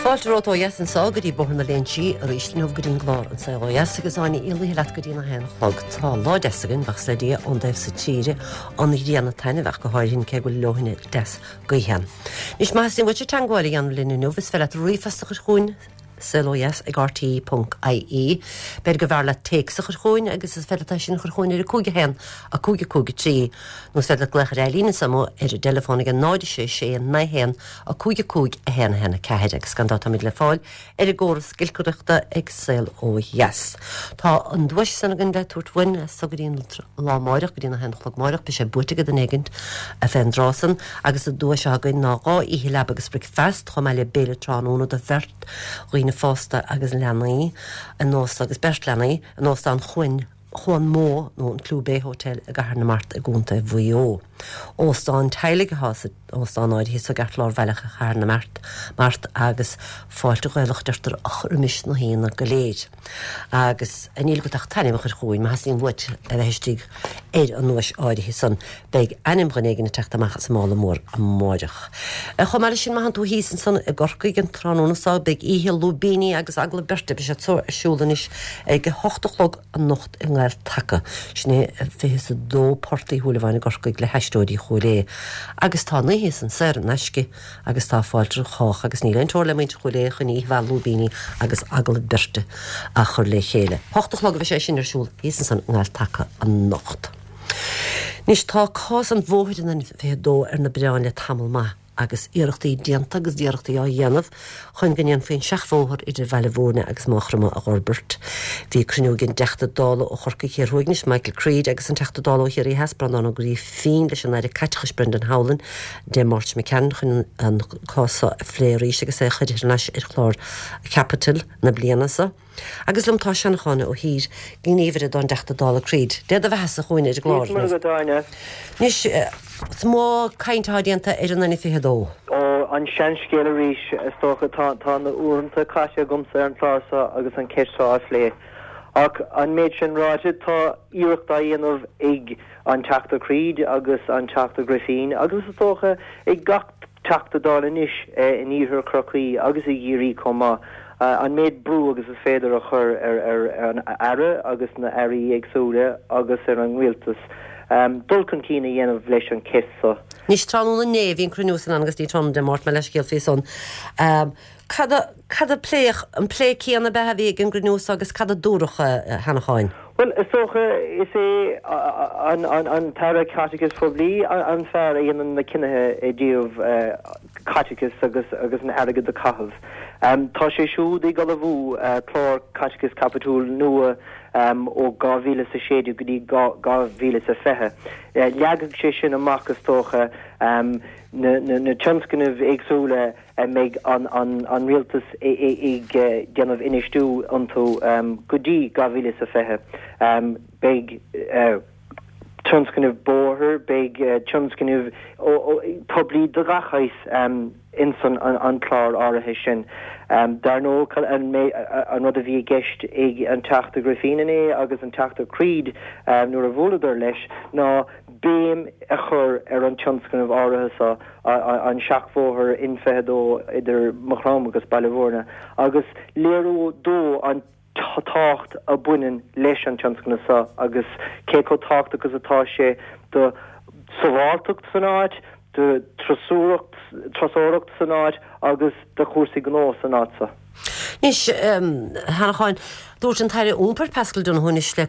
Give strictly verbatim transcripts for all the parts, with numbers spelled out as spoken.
Fáilte romhat ó dheas anseo go dtí Bóthar na Léinsí arís inniu go dtí an gclár An Saol Ó Dheas agus Áine Ní Laoithe leat go dtí a haon a chlog. Tá lá deas againn buíochas le Dia ón dtaobh seo tíre an ghrian ag taitneamh go háirithe cé go bhfuil leoithne deas gaoithe. Anois má theastaíonn uait teagmháil a dhéanamh linn inniu is féidir leat ríomhphost a chur chugainn saolodheas ag rte.ie. B'fhéidir go mb'fhearr leat téacs a chur chugainn agus is féidir leat sin a chur chugainn ar a cúig a haon a cúig a cúig a trí. Nó is féidir leat glaoch ar líne anseo ar an dteileafón ag náid sé sé naoi haon a cúig a cúig a haon a haon a ceathair agus gan dabht táimid le fáil ar an gcóras giolcaireachta ag Saol Ó Dheas. Tá an duais san againn le tabhairt uainn so go dtí lá amárach go dtí a haon a chlog amárach, beidh sé buaite ag duine éigin fén dtráth san agus an duais againn ná dhá oíche leaba agus bricfeasta chomh maith le béile tráthnóna do bheirt dhaoine fásta agus leanaí in óstán agus beirt leanaí in óstán Chuan Chuan Mó nó an Clew Bay Hotel i gCathair na Mart i gContae Mhaigh Eo. Óstán teaghlaigh atá sa óstán áirithe sa gceartlár bhaile Chathair na Mart Mart agus fáilte Ghaelach deirtear a chur roimis na haíonna go léir. Agus níl agat ach t'ainm a chur chugainn má theastaíonn uait a bheith istigh ar an nduais áirithe san beidh ainm dhuine éigin ag teacht amach as an mála mór amárach. Chomh maith leis sin má thánn tú thíos ansan i gCorcaigh an tráthnóna seo beidh oíche lúibíní agus agallamh beirte beidh sé ar siúl anois ag a hocht a chlog anocht i nGael-Taca. Sin é fiche a dó Port Uí Shúilleabháin i gCorcaigh le hAisteoirí Chúil Aodha. Agus tá an oíche san saor in aisce agus tá fáilte roimh chách agus níl aon teora le muintir Chúil Aodha chun oíche mhaith lúibíní agus agallamh beirte a chur le chéile. Hocht a chlog a bheidh sé sin ar siúl thíos ansan i nGael-Taca anocht. Anois tá cás an bhóthair an fiche dó ar na bioráin le tamall maith agus iarrachtaí déanta agus iarrachtaí á dhéanamh chun go ndéanfaí an seachbhóthar idir Bhaile Bhúirne agus Maigh Chromtha a fhorbairt. Bhí cruinniú ag an dTeachta Dála ó Chorcaigh Thiar Thuaidh anois Michael Creed agus an Teachta Dála ó Chiarraí Theas Breandán Ó Grífín leis an Aire Caiteachais Brendan Howlin Dé Máirt McCann chun an cás a phlé arís agus é a chur ar ais ar chlár caipitil na bliana seo. Agus liom tá Seanchán Ó hÍr gníomhaire don dTeachta Dála Creed. Dé do bheatha a chúin ar glár. Anois is mó caint atá déanta ar an N fiche dó. Ó an seanscéal arís is dócha tá tá na uaireanta caite agamsa ar an chlár seo agus an ceist seo á phlé. Ach an méid sin ráite tá iarracht á dhéanamh ag an Teachta Creed agus an Teachta Griffin agus is dócha ag gach Teachta Dála anois in iarthar Chorcaí agus i gCiarraí chomh maith. An méid brú agus is féidir a chur ar ar an aire agus na airí éagsúla agus ar an rialtas dul chun cinn a dhéanamh leis an cheist seo. Anois tráthnóna inné bhí an cruinniú san agus ní tráthnóna Dé Máirt le scéal faoi san. Cad cad a pléadh an plé céanna be a bhí ag an gcruinniú agus cad a dúradh a Sheanacháin? Well is dócha is é an an an tAire Caiteachais Phoiblí an fear a dhéanann na cinnithe i dtaobh caiteachas agus agus an airgead a chaitheamh. Um, tá sé siúd ag ullmhú uh, clár caiteachas caipitiúil nua um, ó dhá mhíle sa sé go dtí dhá mhíle sa fiche. Uh, leagfaidh sé sin amach is dócha um, na, na, na tionscnaimh éagsúla a mbeidh an, an, an rialtas ag déanamh infheistiú iontu um, go dtí dhá mhíle sa fiche. Um, beidh uh, tionscnaimh bóthair, beidh uh, tionscnaimh poiblí de gach saghas um, insan an, an clár áirithe sin. Um, dar ndóigh an, an rud a bhí i gceist ag an Teachta Griffin inné agus an Teachta Creed um, nuair a bhuaileadar leis ná béim a chur ar an tionscnamh áirithe seo an seachbhóthar N fiche dó idir Maigh Chromtha agus Baile Bhúirne agus léiriú dó an tábhacht a bhaineann leis an tionscnamh seo agus cé chomh tábhachtach agus atá sé do sábháilteacht san áit, do turasóireacht san áit agus do chúrsaí gnó san áit seo. Anois a Sheanacháin dúirt an tAire Iompair Paschal Donohoe anois le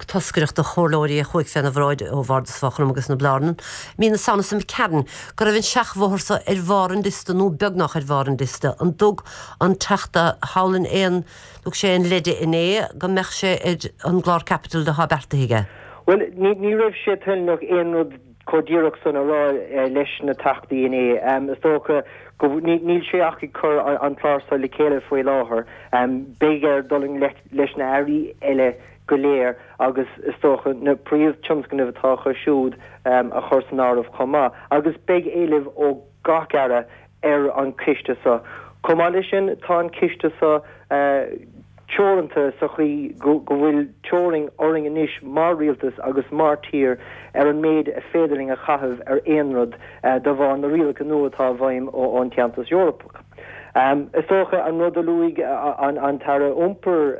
toscaireacht de chomhairleoirí a chuaigh féna bhráid ó Bhardas Mhaigh Chromtha agus na Blarnan, mí na Samhna McCann go raibh an seachbhóthar seo ar bharr an liosta nó beagnach ar bharr an liosta an dtug an Teachta Howlin aon thug sé an leide inné go mbeadh sé ar an gclár caipitil atá beartaithe aige. Well ní ní raibh sé toilteanach aon rud chomh díreach san a rá leis na teachtaí inné. Um, is dócha go níl sé ach ag cur an clár seo le chéile faoi láthair. Um, Beidh air dul leis na hairí eile go léir agus is dócha na príomhthionscnaimh atá acu siúd um, a chur san áireamh chomh maith. Agus beidh éileamh ó gach aire ar an chiste seo. Chomh maith leis sin tá an ciste seo uh, teoranta sa chaoi go bhfuil teorainn orainn anois mar rialtas agus mar tír ar an méid a féidir linn a chaitheamh ar aon rud de bharr na rialacha nua atá i bhfeidhm ón Aontas Eorpach. Is dócha an rud a luaigh an tAire Iompair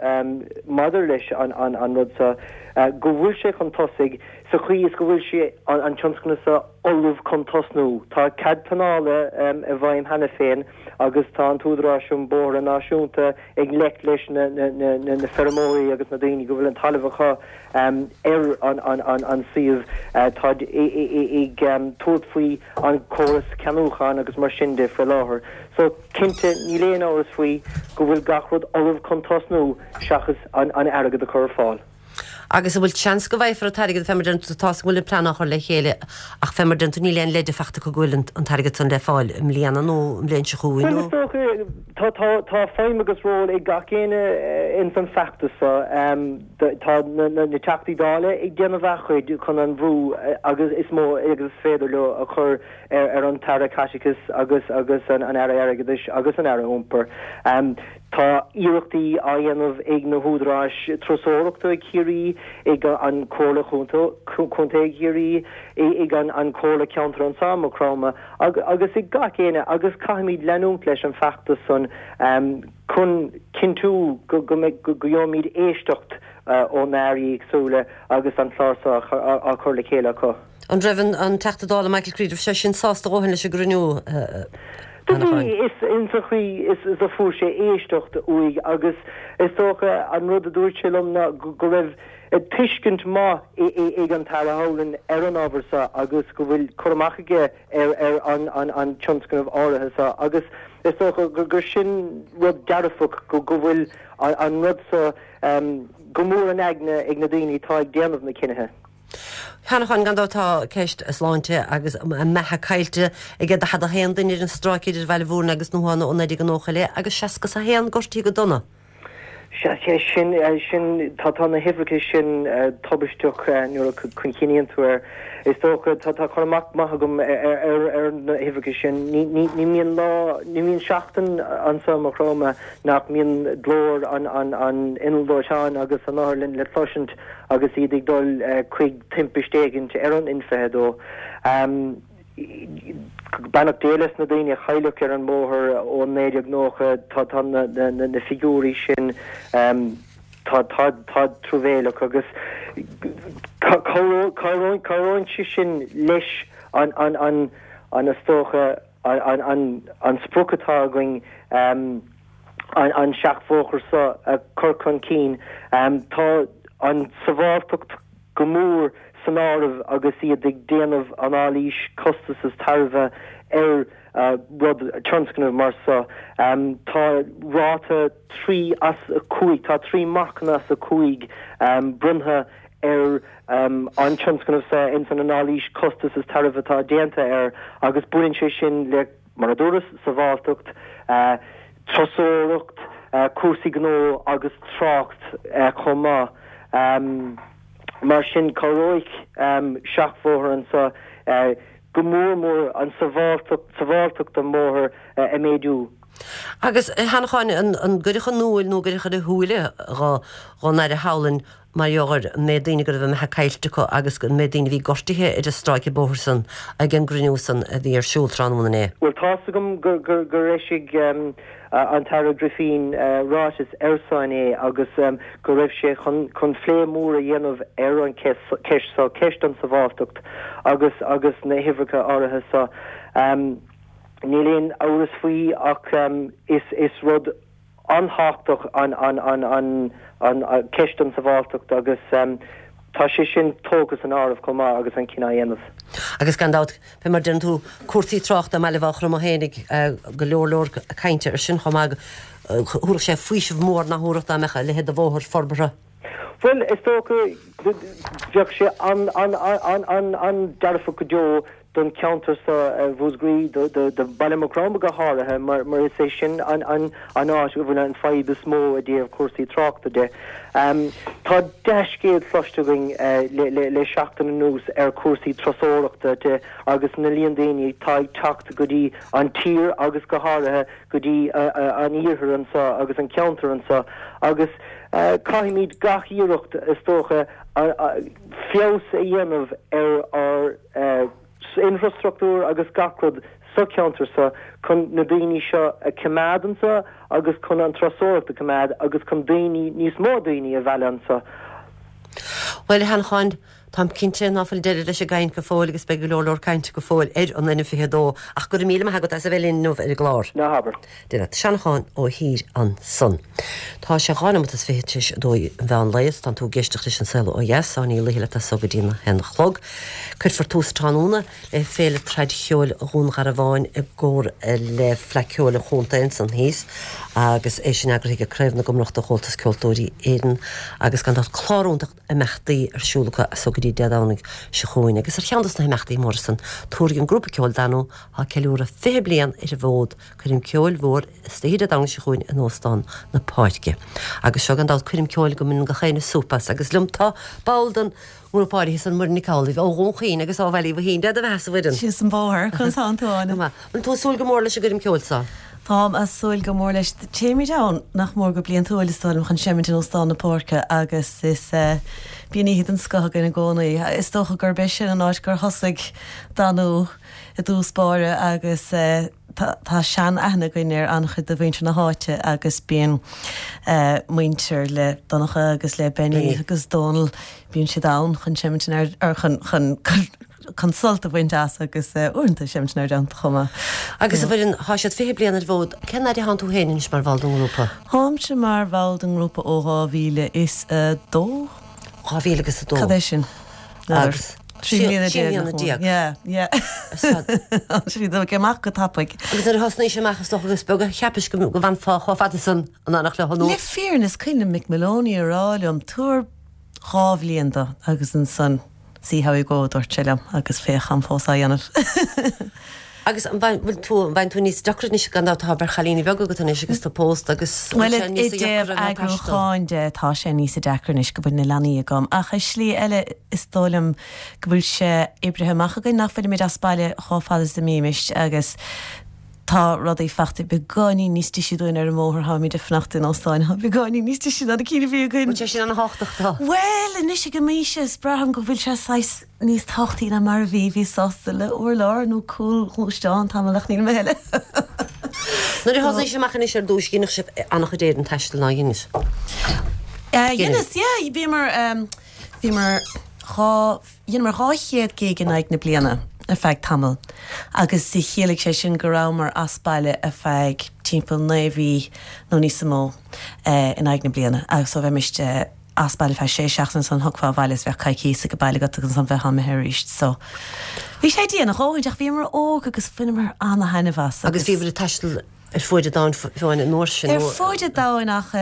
maidir leis an rud seo, go bhfuil sé chun tosaigh sa chaoi is go bhfuil sé an tionscnamh seo ullamh chun tosnú. Tá cead pleanála i bhfeidhm cheana féin agus tá an tÚdarás um Bóithre Náisiúnta ag gleic leis na na feirmeoirí agus na daoine go bhfuil an talamh acu ar an suíomh. Tá ag tabhairt faoi an córas ceannúcháin agus mar sin de faoi láthair. So cinnte níl aon amhras faoi go bhfuil gach rud ullamh chun tosnú seachas an airgead a chur ar fáil. Agus an bhfuil seans go bhfaighfear an t-airgead fé mar deir tú tá go bhfuil an plean á chur le chéile ach fé mar deir tú níl aon leide faighte acu go bhfuil an t-airgead san le fáil i mbliana nó an bhliain seo chugainn nó? Bhuel is dócha tá tá feidhm agus ról ag gach éinne ins an feachtas seo. Tá na Teachtaí Dála ag déanamh a chuid chun an bhrú agus is mó agus is féidir leo a chur ar an tAire Caiteachais agus agus an Aire Airgeadais agus an Aire Iompair. Tá iarrachtaí á dhéanamh ag na húdaráis turasóireachta i Ciarraí, ag an Comhairle Contae Chiarraí, ag an Comhairle Ceantair anso i Maigh Chromtha agus ag gach éinne agus caithfimid leanúint leis an feachtas san chun cinntiú go gheobhaimid éisteacht ó na hairí éagsúla agus an clár seo á chur le chéile acu. An raibh an Teachta Dála Michael Creed, raibh sé sin sásta a dhóthain leis an gcruinniú? Do bhí, is insa chaoi is a fuair sé éisteacht uaidh agus is dócha an rud a dúirt sé liom ná go raibh tuiscint maith ag an tAire Howlin ar an ábhar seo agus go bhfuil cur amach aige ar ar an tionscnamh áirithe seo agus is dócha gur sin rud dearfach go bhfuil an rud seo go mór in aigne ag na daoine atá ag déanamh na cinnithe. A Sheanacháin, gan dabht tá ceist sláinte agus a mbeatha caillte ag daichead a haon duine ar an stráice idir Bhaile Mhúirne agus Ndúsháin ó naoi déag nócha i leith agus seasca is a haon gortaithe go dona. Sea, sin, sin, tá, tá na huimhreacha sin tubaisteach nuair a chuimhníonn tú air. Is dócha, tá, tá cur amach maith agam ar, ar, ar na huimhreacha sin. Ní, ní, ní mbíonn lá, ní mbíonn seachtain anso i Maigh Chromtha nach mbíonn glór an, an, an innill dóiteáin agus an otharlann le cloisint agus iad ag dul chuig timpist éigint ar an N fiche a dó. Beannacht Dé leis na daoine a cailleadh ar an mbóthar ó naoi déag nócha, tá tá na na figiúirí sin tá tá tá truamhéileach agus cabhróidh sé sin leis an an an an is dócha an an an sprioc atá againn an seachbhóthar seo a chur chun cinn. Tá an tsábháilteacht go mór san áireamh agus iad ag déanamh anailís costas is tairbhe ar rud, tionscnamh mar seo. Tá ráta trí as a cúig, tá trí marcanna as a cúig bronnta ar an tionscnamh seo ins an anailís costas is tairbhe atá déanta air agus baineann sé sin le Mar a dúras, sábháilteacht, turasóireacht, cúrsaí gnó agus trácht chomh maith. Mar sin, cabhróidh seachbhóthar anseo go mór mór an tsábháilteacht an bhóthair a mhéadú. Agus, a Sheanacháin, an gcuirfeadh in iúl nó an gcuirfeadh ar a shúile dhon Aire Howlin mar gheall ar an méid daoine go raibh a mbeatha caillte acu agus an méid daoine a bhí gortaithe ar an stráice bóthair san ag an gcruinniú san a bhí ar siúl tráthnóna inné. Bhuel, tá's agam gur eisigh an tAire Griffin ráiteas air seo inné agus go raibh sé chun plé mór a dhéanamh ar an cheist seo, ceist an tsábháilteacht agus agus na huimhreacha áirithe seo. Níl aon amhras faoi ach is rud an-tábhachtach an cheist an tsábháilteacht agus tá sé sin tógtha san áireamh chomh maith agus an cinneadh á dhéanamh. Agus gan dabht, fé mar deireann tú, cúrsaí tráchta i mBaile Mhaigh Chromtha fhéinig, go leor leor cainte ar sin chomh maith, thabharfadh sé faoiseamh mór nach thabharfadh dá mbeadh a leithéid de bhóthar forbartha. Bhuel, is dócha, bheadh sé an-dearfach go deo don cheantar seo Mhúscraí, do Bhaile Mhaigh Chromtha go háirithe, mar is é sin an áit a bhfuil an fadhb is mó i dtaobh cúrsaí tráchta de. Tá dea-scéal cloiste againn le seachtain anuas ar chúrsaí turasóireachta de agus na líon daoine atá ag teacht go dtí an tír agus go háirithe go dtí an iarthar anseo agus an ceantar anseo agus caithfimid gach iarracht is dócha feabhas a dhéanamh ar ár infrastruchtúr agus gach rud sa cheantar seo chun na daoine seo a choimeád anseo agus chun an turasóireacht a choimeád agus chun daoine níos mó daoine a mhealladh anseo. Bhuel a Sheanacháin, táim cinnte ná fuil deireadh leis an gcaint go fóill agus beidh go leor leor cainte go fóill ar an N fiche dó ach go raibh míle maith agat as a bheith linn inniu ar an gclár. Ná habair. Dia leat. Seanachán Ó hÍr ansan. Tá sé dhá nóiméad is fiche tar éis a dó an mheán lae is tánn tú ag éisteacht leis An Saol Ó Dheas, Áine Ní Laoithe leat as so go dtí a haon a chlog. Cuirfear tús tráthnóna le Féile Traidcheoil Dhún Garbháin i gcomhar le Fleadh Cheoil an Chontae ansan thíos agus é sin eagraithe ag Craobh na gComrach de Chomhaltas Ceoltóirí Éireann agus gan dabht clár iontach imeachtaí ar siúl acu as so go dtí Dé Domhnaigh seo chugainn. Agus ar cheann dos na himeachtaí móra san, tabharfaidh an grúpa ceoil Danú, atá ag ceiliúradh fiche bliain ar an bhfód, coirm ceoil mhór istoíche Dé Domhnaigh seo chugainn in Óstán na Páirce. Agus seo gan dabht coirm ceoil go mbaineann gach éinne súp as. Agus liom tá ball den ngrúpa áirithe san, Muireann Nic Amhlaoibh ó Dhún Chaoin agus ó Bhaile Uí Mhaithín. Dia do bheatha a Mhuireann. Síos an bóthar, conas tánn tú, Áine? Go maith. Bhfuil tú ag súil go mór leis an gcoirm ceoil seo? Táim ag súil go mór leis. Téimid ann nach mór go bliantúil is dóigh liom chun seimint in Óstán na Páirce agus is bíonn oíche den scoth againn i gcónaí. Is dócha gurb é sin an áit gur thosaigh Danú i dtús báire agus tá sean-aithne againn ar an-chuid de mhuintir na háite agus bíonn muintir le Donncha agus le Benny agus Dónal, bíonn siad ann chun seimint in ar chun chun chun sult a bhaint as agus uaireanta seimint inár dteannta chomh maith. Agus a Mhuireann, tá siad fiche bliain ar an bhfód, cén fhad a thánn tú féin anois mar bhall den ngrúpa? Táimse mar bhall den ngrúpa ó dhá mhíle is a dó. Dhá mhíle agus a dó. Cad é sin? Agus Trí mbliana trí déag mbliana nach mór. déag. Yeah, yeah. Siad ag amach go tapaidh. Agus nuair a thosnaís amach is dócha is beag a cheapais go go bhfanfá chomh fada san in éineacht leo nó Le fírinne is cuimhin liom Mick Moloney a rá liom, tabhair dhá bhliain dó agus ansan see how you go, a dúirt sé liom, agus féach táim fós á dhéanamh. Agus an bhfuil tú, an bhfaigheann tú níos deacra anois gan dabht tá beirt chailíní beaga agat anois agus tú pósta agus Bhuel, bhfuil sé i níos dtaobh deacra ná taisteal? eagrúcháin de, tá sé níos deacra anois go bhfuil na leanaí agam, ach i slí eile is dóigh liom go bhfuil sé oibrithe amach againn nach bhfuilimid as baile chomh fada is a mbímis agus tá rudaí fachta beagáinín níos deise dúinn ar an mbóthar, táimid ag fanacht in óstáin, tá beagáinín níos deise ná na cinn a bhí againn. Bhfuil sé sin ana-thábhachtach dó? Bhuel, anois ag an m'aois is braithim go bhfuil sé saghas níos tábhachtaí ná mar a bhí, bhíos sásta le urlár nó cúl gluaisteán tamall ach níl mé a thuilleadh. Nuair a thosaís amach anois ar dtús, dheineadh sibh an-chuid éadan taistil ná dheineadh? Dheineas, yeah, bhíomar, bhíomar dhá, dheineamar dhá chéad gig in aghaidh na bliana ar feadh tamaill agus chiallaigh sé sin go rabhamar as baile ar feadh timpeall naoi mhí nó níos mó in aghaidh na bliana agus so bheimis as baile feadh sé seachtaine ansan thiocfá abhaile is bheadh coicíos ag baile agat agus ansan bheifeá imithe arís so bhí sé dian a dhóthain ach bhíomar óg agus bhaineamar ana-thaitneamh as agus. Agus bhíobhair ag taisteal ar fuaid an domhain fiú an uair sin Ar fuaid an domhain ach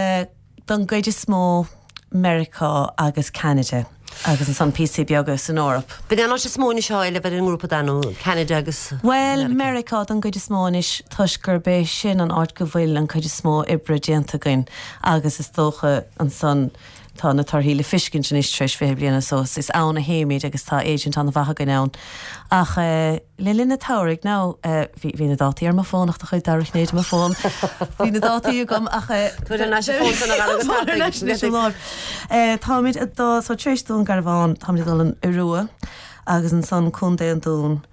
don gcuid is mó Meiriceá agus Ceanada agus ansan píosaí beaga san Eoraip. B'in é an áit is mó anois atá éileamh ar an ngrúpa Danú, Ceanada agus Bhuel, Meiriceá don gcuid is mó anois toisc gurb é sin an áit go bhfuil an cuid is mó oibre déanta againn agus is dócha ansan tá na torthaí le fiscint anois tar éis fiche bliain or so is ann a théimid agus tá agent an-mhaith againn ann. Ach le linn an tsamhraidh now bhí bhí na dátaí ar mo fón ach tá chuid dara ghné de mo fón. Bhí na dátaí agam ach Tabhair thar n-ais an fón san a dhara go Tabhair thar n-ais anois an láimh. Táimid ag dul so tar éis Dún Garbhán táimid ag dul an Iorua agus ansan Contae an Dúin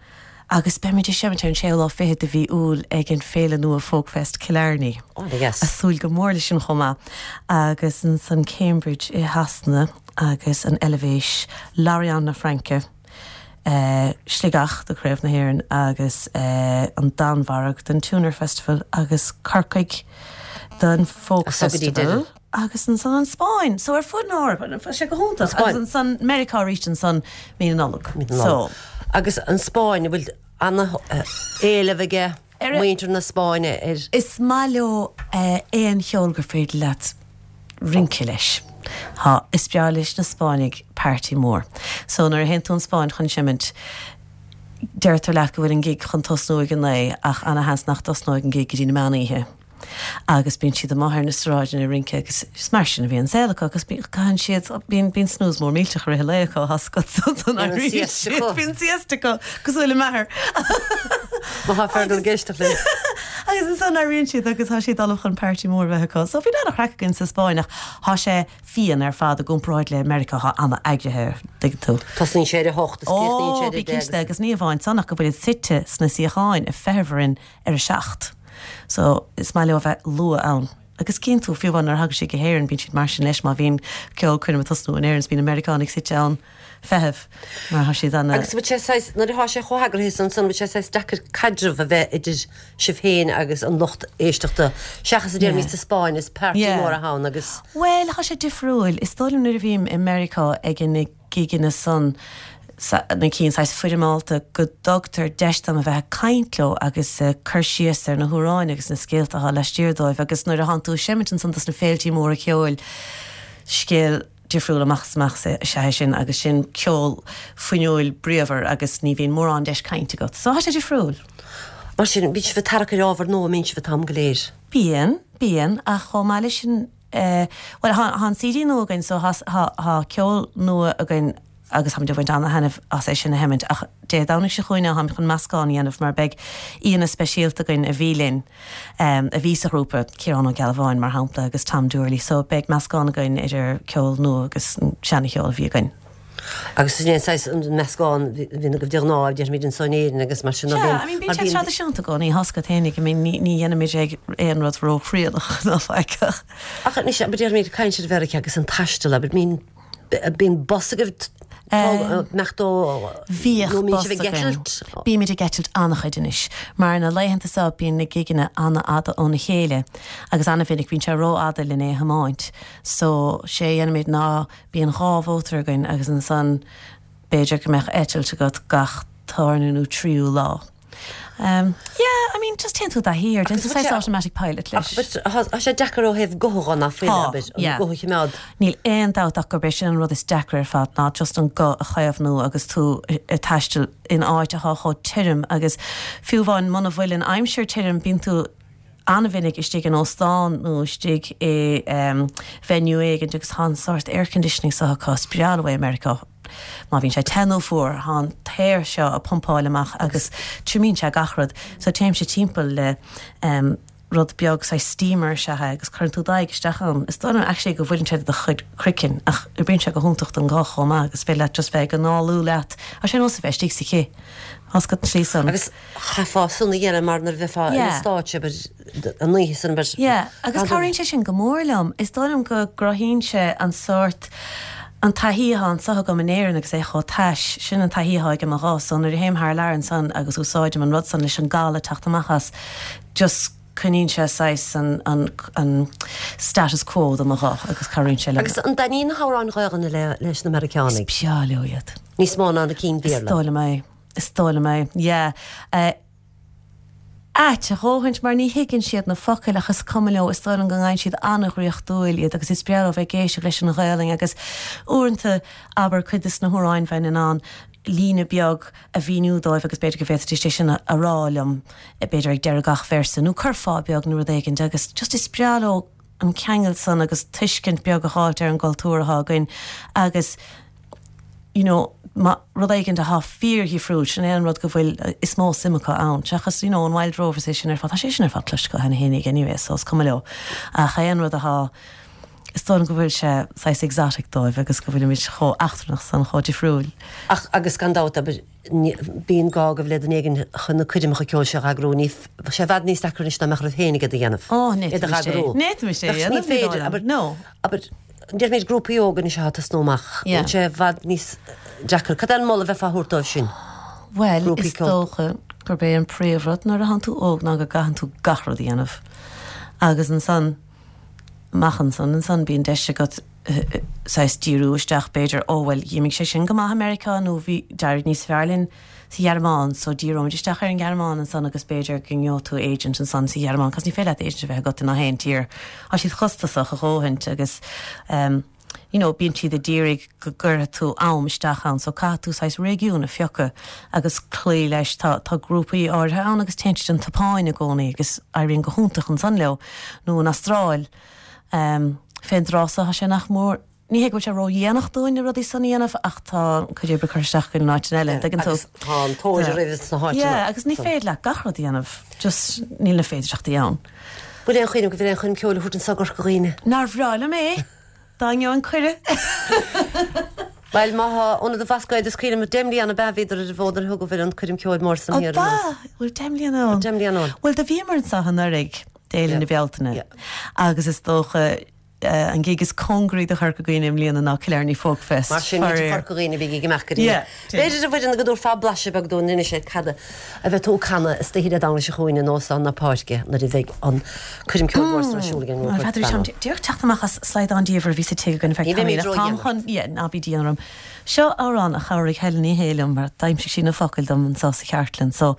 agus beimid ag seimint ar an séú lá fichead de mhí Iúil ag an féile nua Folkfest Killarney. Oh yes. Ag súil go mór leis sin chomh maith. Agus ansan Cambridge i Shasana agus an Eilvéis, Lorient na Fraince, Sligeach do Chraobh na hÉireann agus an Danmhairg don Tuner Festival agus Corcaigh don Folk Festival. Agus ansan an Spáinn. So ar fud na hEorpa, tá sé go hiontach. Agus ansan Meiriceá arís ansan mí na Nollag. So. Agus an Spáinn, an bhfuil ana-éileamh aige muintir na Spáinne ar. Is maith leo aon cheol gur féidir leat rince leis. Tá, is breá leis na Spáinnigh party mór. So nuair a théann tú an Spáinn chun seimint, deirtear leat go bhfuil an gig chun tosnú ag a naoi ach ana-sheans nach dtosnóidh an gig go dtí na meán oíche. Agus bíonn siad amuigh ar na sráideanna ag rince agus is mar sin a bhíonn an saol acu agus caitheann siad, bíonn, bíonn snooze mór millteach i rith an lae acu, tá 's agat so don Bíonn an éiríonn siesta siad, acu. bíonn siesta acu, cosúil le m'athair. Má tá Fergal ag éisteacht linn. Agus ansan éiríonn siad agus tá siad ullamh chun party mór a bheith acu. So bhí an-chraic againn sa Spáinn ach tá sé fiáin ar fad i gcomparáid le Meiriceá atá an-eagraithe tuigeann tú. Tosaíonn sé ar a hocht is críochnaíonn sé Ó ar a bí deich cinnte agus. agus ní amháin san ach go bhfuil suite sna suíocháin ag feitheamh orainn ar a seacht. So is maith leo a bheith luath ann. Agus cíonn tú fiú amháin nuair a thagann siad go hÉirinn bíonn siad mar sin leis má bhíonn ceolchoirm ag tosnú in Éirinn is bíonn na Meiriceánaigh suite ann feitheamh mar tá siad an Agus bhfuil sé saghas nuair atá sé chomh heagraithe san san bhfuil sé saghas deacair caidreamh a bheith idir sibh féin agus an lucht éisteachta seachas a déarfaimid sa Spáinn is party Yeah. mór ann agus Well, tá sé difriúil. Is dóigh liom nuair a bhím i Meiriceá ag na gigeanna san sa- na cinn saghas foirmeálta go dtugtar deis dom a bheith ag caint leo agus uh, cur síos ar na hamhráin agus na scéalta atá laistiar dóibh agus nuair a thánn tú ag seimint ansan dos na féiltí móra ceoil scéal difriúil amach is amach is ea sin agus sin ceol fuinniúil bríomhar agus ní bhíonn mórán deis cainte agat. So tá sé difriúil. Mar sin bíonn sibh ag tarrac ar ábhar nua mbíonn sibh an t-am go léir. Bíonn, bíonn ach chomh maith leis sin eh, well tá an CD nua againn so tá ceol nua againn agus táimid ag baint an-taitneamh as é sin a sheimint ach Dé Domhnaigh seo chugainn táim chun meascán a dhéanamh mar beidh aíonna speisialta againn a bhí linn um, a bhí sa ghrúpa Ciarán Ó Gealbháin mar shampla agus Tom Doorley, so beidh meascán againn idir ceol nua agus seancheol a bhí againn. Agus sin é an meascán bhí go dtí ná déarfaimid in san Éirinn agus mar sin Yeah, I mean, bíonn sé traidisiúnta go ní hasca féinig, I mean, ní ní dhéanaimid ag aon rud róthrialach ná faic. Ach ní déarfaimid caint ar Mheiriceá agus an taisteal, but mean bíonn bus agaibh mechtó Bhíodh bus againn. Bímid ag eitilt an-chuid anois, mar na laethanta seo bíonn na gigeanna an-fhada óna chéile, agus an-mhinic bíonn sé rófhada linn é a thiomáint. So sé dhéanaimid ná bíonn dhá mhótar againn agus ansan b'fhéidir go mbeadh eitilt agat gach tarna nó tríú lá. Um, yeah, I mean, just téann tú dá hir, den Agus saghas automatic pilot leis. Tá sé deacair ó thaobh gutha ná Tá, yeah. guth a choimeád. Níl aon dabht ach gurb é sin an rud is deacra ar fad ná just an guth a chaomhnú agus tú ag taisteal in áit atá chomh tirim agus fiú amháin muna bhfuil an aimsir tirim bíonn tú an-mhinic istigh in óstán nó istigh i um, venue éigin agus tá an sórt air conditioning seo acu is breá leo é Meiriceá. Má bhíonn sé te nó fuar tá an t-aer seo ag pumpáil amach agus triomaíonn sé gach rud, so téimse timpeall le um, rud beag saghas steamer is ea é agus cuireann tú d'aghaidh isteach ann. Is dóigh liom actually go bhfuil sé do chuid craiceann ach oibríonn sé go hiontach don ghuth chomh maith agus féidir leat just bheith ag análú leat. A sé nós a bheith istigh sa chith. As go slí san. Agus chaithfeá san a dhéanamh mar nuair a bheifeá Yeah. in stáitse an oíche san ber. Yeah, agus cabhraíonn sé sin go mór liom. Is dóigh liom go gcruthaíonn sé an sórt an taithí atá anseo agam in Éirinn agus é chomh tais sin an taithí atá agam a dhá so nuair a théim thar lear ansan agus úsáidim an rud san leis an gal a teacht amach as just coinníonn sé saghas an, an, an status quo do mo ghuth agus cabhraíonn sé liom. Agus an dtaitníonn na hamhráin Ghaeilge le leis na Meiriceánaigh. Breá leo iad. Níos mó ná na cinn Is Bhéarla. dóigh liom é. Is dóigh liom é. Yeah. Uh, Ait a dhóthaint mar ní thuigeann siad na focail ach is cuma leo is dóigh liom go bhfaigheann siad an-dhraíochtúil iad agus is breá leo bheith ag éisteacht leis an Ghaelainn agus uaireanta abair cuid de na hamhráin bheinn in ann líne beag a mhíniú dóibh agus b'fhéidir go bhféadfaidís é sin a a rá liom b'fhéidir ag deireadh gach véarsa nó curfá beag nó rud éigin agus just is breá leo an ceangal san agus tuiscint beag a fháilt ar an gcultúr atá againn agus you know, ma rud éigin atá fíordhifriúil sin é an rud go bhfuil eh, is mó suim acu ann. Seachas you know, an Wild Rover é sin ar fad tá sé sin ar fad cloiste cheana féinig anyway, so is cuma leo. Ach é an rud atá is dóigh go bhfuil sé saghas exotic dóibh agus go bhfuilimid chomh eachtrannach san chomh difriúil. Ach agus gan dabht bíonn gá go le duine éigin chun na coirmeacha ceoil seo a eagrú ní sé i bhfad níos deacra anois ná mbeadh oraibh féinig iad a dhéanamh. Ó, Iad a eagrú. Ní sé Ach ní féidir, aber- No. Aber déarfaimid grúpaí óga anois atá ag tosnú amach. Yeah. Sé i bhfad níos deacra. Cad é an moladh a bheifeá a thabhairt dóibh sin. Well, Grúpaí is ceoil. dócha gurb é an príomhrud nuair atánn tú óg ná go gcaitheann tú gach rud a dhéanamh. Agus ansan amach ansan ansan bíonn deis agat eh, saghas díriú isteach b'fhéidir ó well d'imigh sé sin go maith America nó bhí d'éirigh níos fearr linn sa Ghearmáin so díreoimid isteach ar an Ghearmáin ansan agus b'fhéidir go ngeobhaidh tú agent ansan sa Ghearmáin, cos ní féidir leat agent a bheith agat in aon tír. Tá siad costasach a dhóthaint agus um, you know, bíonn siad ag iarraidh go gcuirfidh tú am isteach ann, so caithfidh tú saghas réigiún a phiocadh agus cloí leis tá, tá grúpaí áirithe ann agus téann siad an tSeapáin i gcónaí agus éiríonn go hiontach ansan leo nó an Astráil. Um, Fén dtráth seo tá sé nach mór ní hé go bhfuil sé ródhéanach dúinn na rudaí san a dhéanamh ach tá cuid oibre curtha isteach againn in áiteanna eile, tuigeann tú. Agus tá an tóir roimh sna háiteanna. Yeah, agus ní féidir leat gach rud a dhéanamh, just níl na féidearthachtaí ann. Bhfuil aon chuimhne go bhfuil aon choirm ceoil a thabhairt anseo go Corca Dhuibhne? Nár bhreá liom é! Dá ngeobhainn cuireadh! Bhuel, má thá Ionad an Bhlascaoid is cuimhin liom deich mbliana ab ea bhíodar ar an bhfód nuair a thug an coirm ceoil mór san thiar Ó ba! Bhfuil deich mbliana ann? Deich mbliana ann. Bhuel, do bhíomar anseo anuraidh d'Fhéile na Bealtaine agus is dócha an gig is cóngaraí do Chorca Dhuibhne i mbliana ná Killarney Folk Fest. Mar sin, muintir Chorca Dhuibhne, bígí ag imeacht go dtí. B'fhéidir a Mhuireann go dtabharfá blaiseadh beag dúinn anois ar cad a bheidh tú ag canadh istoíche Dé Domhnaigh seo chugainn in Óstán na Páirce nuair a bheidh an coirm ceoil mhór san ar siúl ag an ngrúpa N'fheadar táim díreach teacht amach as slaghdán diamhair a bhí sa tigh againn ar feadh tamaill ach táim chun, yeah, ná bí dian orm. Seo amhrán a chabhraigh Helen Ní Shé liom mar d'aimsigh sí na focail dom anseo sa chartlann so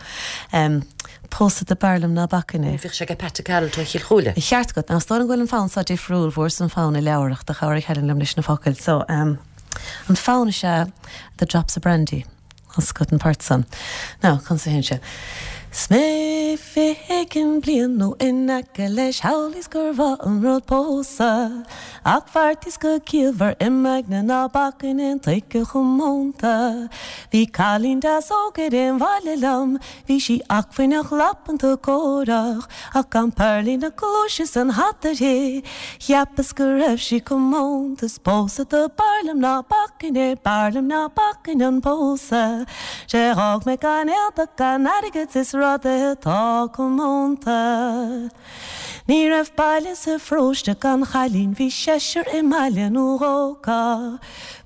em pósadh do b'fhearr liom ná bacfainn é. Bhíodh sé ag Pat Carroll ó Chill Chúile. Ceart agat. Now is dóigh liom go bhfuil an fonn seo difriúil, fuaireas an fonn i leabhar ach do chabhraigh Helen liom leis na focail so em An fonn is ea The Drops of Brandy as agat an port san. Now, conas a théann sé? 'S mé fiche éigin bliain nó in aice leis shamhlaíos gur mhaith an rud pósadh Ach bheartaíos go ciallmhar im aigne ná bacfainn aon tuige chomónta Bhí cailín deas óg ar aon bhaile liom Bhí sí acmhainneach labanta córach Ach gan pearlaí na cluaise 's an hata uirthi Cheapas go raibh sí comónta 's pósadh do b'fhearr liom ná bacfainn é B'fhearr liom ná bacfainn an pósadh 'Sé dh'fhág mé gan éadach gan airgead 's is rudaí atá comónta Ní raibh baile sa pharóiste gan chailín Bhí seisear i mbaile nó dhó acu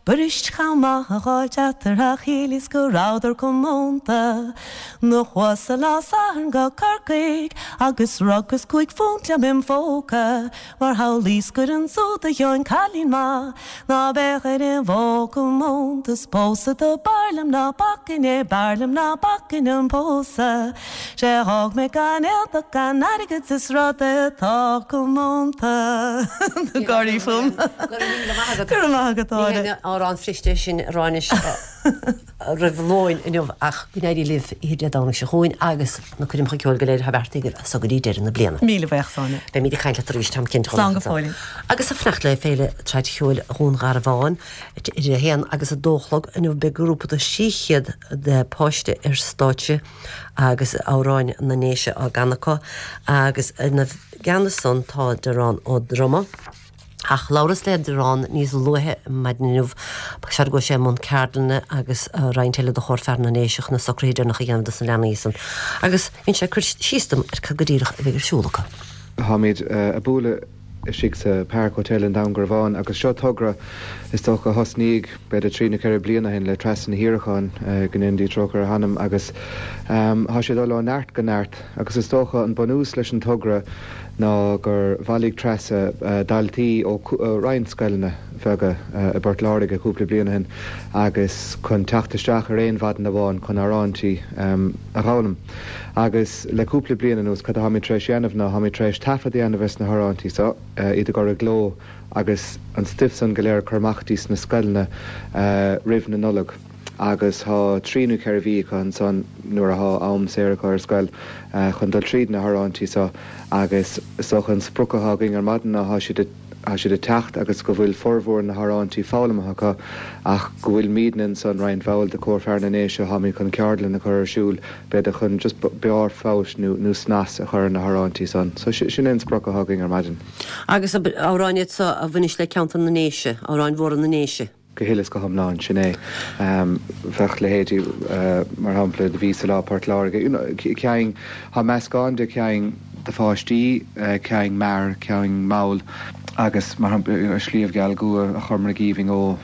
B'fhuirist chomh maith a dh'fháilt eatarthu ach shíleas go rabhadar comónta Do chuas-sa lá Sathairn go Corcaigh agus rugas cúig phunt liom im phóca Mar shamhlaíos gur ansúd a gheobhainn cailín maith ná beadh ar aon mhodh comónta 'S pósadh do b'fhearr liom ná bacfainn é b'fhearr liom ná bacfainn an pósadh 'Sé dh'fhág mé gan éadach gan airgead 's is rudaí atá comónta Tá gáirí fúm. Go raibh míle maith agat. Go raibh maith agat, Ní Áine. haon amhrán fuirist é sin a rá anois roimh lóin inniu ach go n-éirí libh oíche Dé Domhnaigh seo chugainn agus na coirmeacha ceoil go léir atá beartaithe agaibh as so go dtí deireadh na bliana. Míle buíochas, Áine. Beimid ag caint leat arís, táim cinnte. Slán go fóill. Agus ag fanacht le Féile Traidcheoil Dhún Garbhán idir a haon agus a dó a chlog inniu beidh grúpa de trí chéad de páiste ar stáitse agus amhráin na nDéise á gcanadh acu agus ina gceannas san tá Diarán Ó Droma. Ach labhras le Diarán níos luaithe maidin inniu, ba cheart go bhfuil sé i mbun ceardlainne agus roinnt eile de Chór Fear na nDéise chun na socruithe deireanacha a dhéanamh dos na leanaí san. Agus dhein sé cur síos dom ar cad go díreach a bheidh ar siúl acu. Táimid ag bualadh istigh sa Park Hotel in Dún Garbhán agus seo togra is dócha a thosnaigh b'fhéidir trí nó ceithre bliana ó shin le Treasa Ní Shíoracháin, go ndéana Dia trócaire ar a hanam, agus tá sé ag dul ó neart go neart agus is dócha an bunús leis an togra ná gur bhailigh Treasa daltaí ó roinnt scoileanna bheaga i bPort Láirge cúpla bliain ó shin agus chun teacht isteach ar aon mhaidin amháin chun amhráintí a dh'fhoghlaim. Agus le cúpla bliain anuas cad a tháimid tar éis dhéanamh ná tháimid tar éis taifead a dhéanamh ar na hamhráintí so, iad a chur i gcló agus an stuif san go léir a chur amach dtí sna scoileanna roimh na Nollag. Agus thá trí nó ceithre mhí acu ansan nuair athá am saor acu ar scoil chun dul tríd na hamhráintí so agus is dócha an sprioc athá againn ar maidin ná thá siad ag thá siad ag teacht agus go bhfuil formhór na hamhráintí foghlamtha acu ach go bhfuil muidne ansan roinnt bhall de Chór Fear na nDéise tháimid chun ceardlann a chur ar siúl b'fhéidir chun just barr feabhais nó nó snas a chur ar na hamhráintí san. So sin é an sprioc athá againn ar maidin. Agus amhráin iad seo a bhaineas le ceantar na nDéise, amhráin mhóra na nDéise. Go huile is go hiomlán, sin é. Bheadh leithéidí, mar shampla, Do Bhíos-sa Lá Port Láirge, you know, cinn, tá meascán de chinn do pháistí, cinn mear, cinn mall agus, mar shampla, you know, Sliabh Geal Gua, A Chormaic Aoibhinn Ó,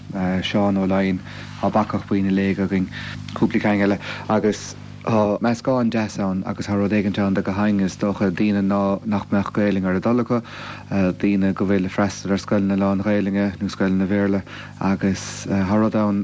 Seán Ó Laighin, tá Bacach Buí na Léige againn, cúpla ceann eile agus tá meascán deas ann agus tá rud éigint ann do gach éinne, is dócha, daoine ná nach mbeadh Gaelainn ar a dtoil acu, daoine go bhfuil ag freastal ar scoileanna lán-Ghaelainne nó scoileanna Bhéarla agus tá rud ann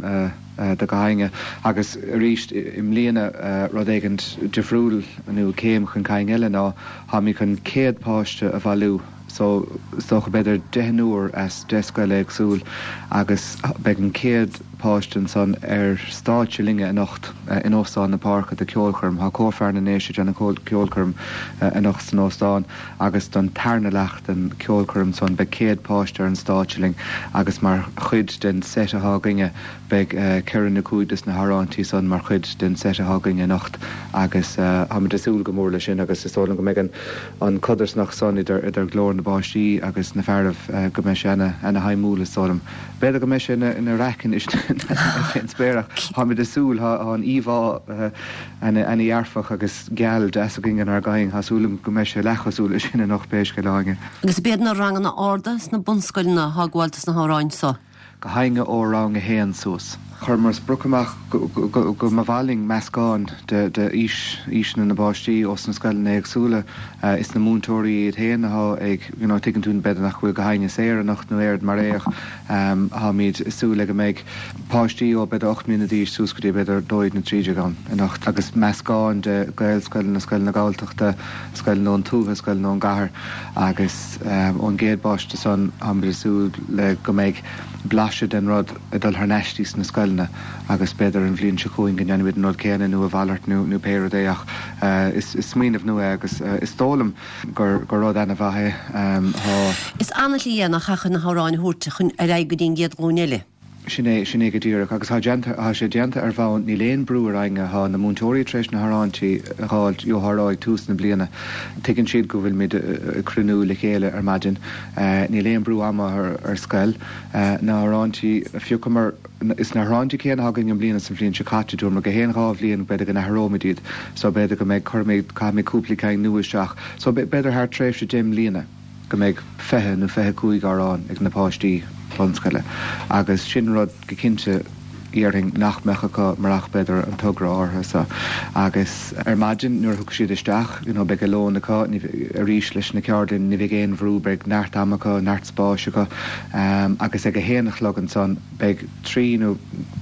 do gach éinne. Agus arís i mbliana rud éigint difriúil nó céim chun cinn eile ná táimid chun céad páiste a bhailiú So is dócha b'fhéidir deichniúr as deich scoil éagsúil agus beidh an céad páiste ansan ar stáitse linne anocht in Óstán na Páirce do ceolchoirm. Tá Cór Fear na nDéise ag déanamh ceolchoirm anocht san óstán agus don tarna leath den ceolchoirm san beidh céad páiste ar an stáitse linn agus mar chuid den set atá againne beidh ceithre nó cúig des na hamhráintí san mar chuid den set atá againne anocht agus táimid ag súil go mór leis sin agus is dóigh liom go mbeidh an an codarsnacht san idir idir glór na bpáistí agus na fearaibh go mbeidh sé ana ana shuimiúil is dóigh liom. B'fhéidir go mbeidh sé ina ina raic anois fén spéir ach táimid ag súil tá an íomhá ana ana dhearfach agus geal deas againn inár gcoing tá súil agam go mbeidh sé leathchosúil leis sin anocht pé scéal é Áine. Agus b'iad na ranganna arda sna bunscoileanna atá ag gabháil dos na hamhráin so. Gach éinne ó rang a haon suas. Chuireamar sprioc amach go mba mhaith linn meascán de d'aois aoiseanna na bpáistí ós na scoileanna éagsúla. Is na múinteoirí iad féin atá ag you know tuigeann tú b'fhéidir nach bhfuil gach éinne saor anocht nó aon rud mar é ach táimid ag súil le go mbeidh páistí ó b'fhéidir ocht mbliana d'aois suas go dtí b'fhéidir dó dhéag nó trí déag ann anocht agus meascán de Ghaelscoileanna, scoileanna Galltachta, scoileanna ón tuath, scoileanna ón gcathair agus ón gcéad bpáiste san táimid ag súil le go mbeidh blaiseadh den rud ag dul thar n-ais sna scoileanna agus b'fhéidir an bhliain seo chugainn go ndéanfaimid an rud céanna nó a mhalairt nó nó pé rud é ach is is smaoineamh nua é agus is dóigh liom gur gur rud ana-mhaith é. Tá. Is an-shlí é nach ea chun na hamhráin a thabhairt chun ar aghaidh go dtí an gcéad ghlúin eile. Sin é, sin é go díreach. Agus tá déanta, tá sé déanta ar bhonn, níl aon brú ar éinne, tá na múinteoirí tar éis na hamhráintí a dh'fháilt gheofar ag tús na bliana. Tuigeann siad go bhfuilimid ag cruinniú le chéile ar maidin. Níl aon brú ama ar, ar scoil. Na hamhráintí a phiocamar, is na hamhráintí céanna atá againn i mbliana is an bhliain seo caite, dúramar gach aon dhá bhliain b'fhéidir go n-athróimid iad. So b'fhéidir go mbeidh, cuirfimid, caithfimid cúpla ceann nua isteach. So b'fhéidir thar tréimhse deich mbliana. go mbeidh fiche nó fiche cúig amhrán ag na páistí bunscoile agus sin rud go cinnte dhéarfainn nach mbeadh acu murach b'fhéidir an togra áirithe seo. Agus ar maidin nuair a thiocfaidh siad isteach you know beidh a lón acu, ní arís leis na ceardlanna ní bheidh aon bhrú, beidh neart ama acu, neart spáis acu agus ag a haon a chlog ansan beidh trí nó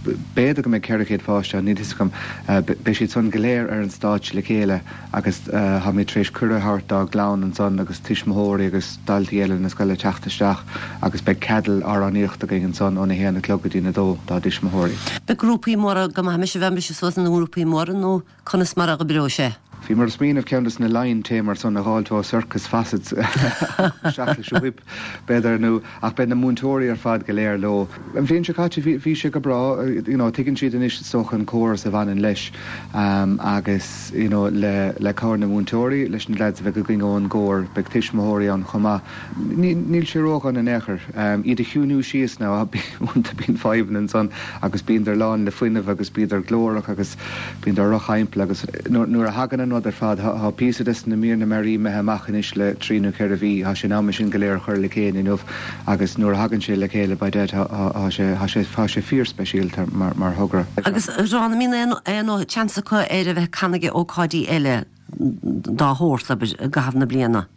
b'fhéidir go mbeidh ceithre chéad páiste ann, níl fhios agam, beidh siad san go léir ar an stáitse le chéile agus táimid tar éis cuireadh a thabhairt dá gclann ansan agus tuismitheoirí agus daltaí eile na scoile teacht isteach agus beidh ceadail amhránaíochta againn ansan óna haon a chlog go dtí'n a dó dá dtuismitheoirí. Beidh grúpaí móra go maith mise bheith mise suas ina ngrúpaí móra nó conas mar a dh'oibreoidh sé? Bhíomar ag smaoineamh ceann des na lion tamers san a dh'fháilt ó Circus Facets isteach leis an whip, b'fhéidir, nó ach beidh na múinteoirí ar fad go léir leo. An bhliain seo caite bhí bhí sé go breá, you know, tuigeann siad anois is dócha an córas a bhaineann leis agus you know le le cabhair na múinteoirí, leis na leaids a bheidh againn ón gcór, beidh tuismitheoirí ann chomh maith. Níl sé ródhona in aon chor. Iad a chiúnú síos now, uaireanta bíonn fadhbanna ansan agus bíondar lán le fuinneamh agus bíodar glórach agus bíondar drochaimple agus nuair a thagann an rud ar fad, tá píosa des na míreanna mearaí imithe amach anois le trí nó ceithre mhí, tá sé in am é sin go léir a chur le chéile inniu agus nuair a thagann sé le chéile by dead tá sé tá sé tá sé fíorspeisialta mar mar thogra. Agus a Sheáin, an mbíonn aon aon seans acu ar a bheith ag canadh ag ócáidí eile dá shórt, abair, i gcaitheamh na bliana?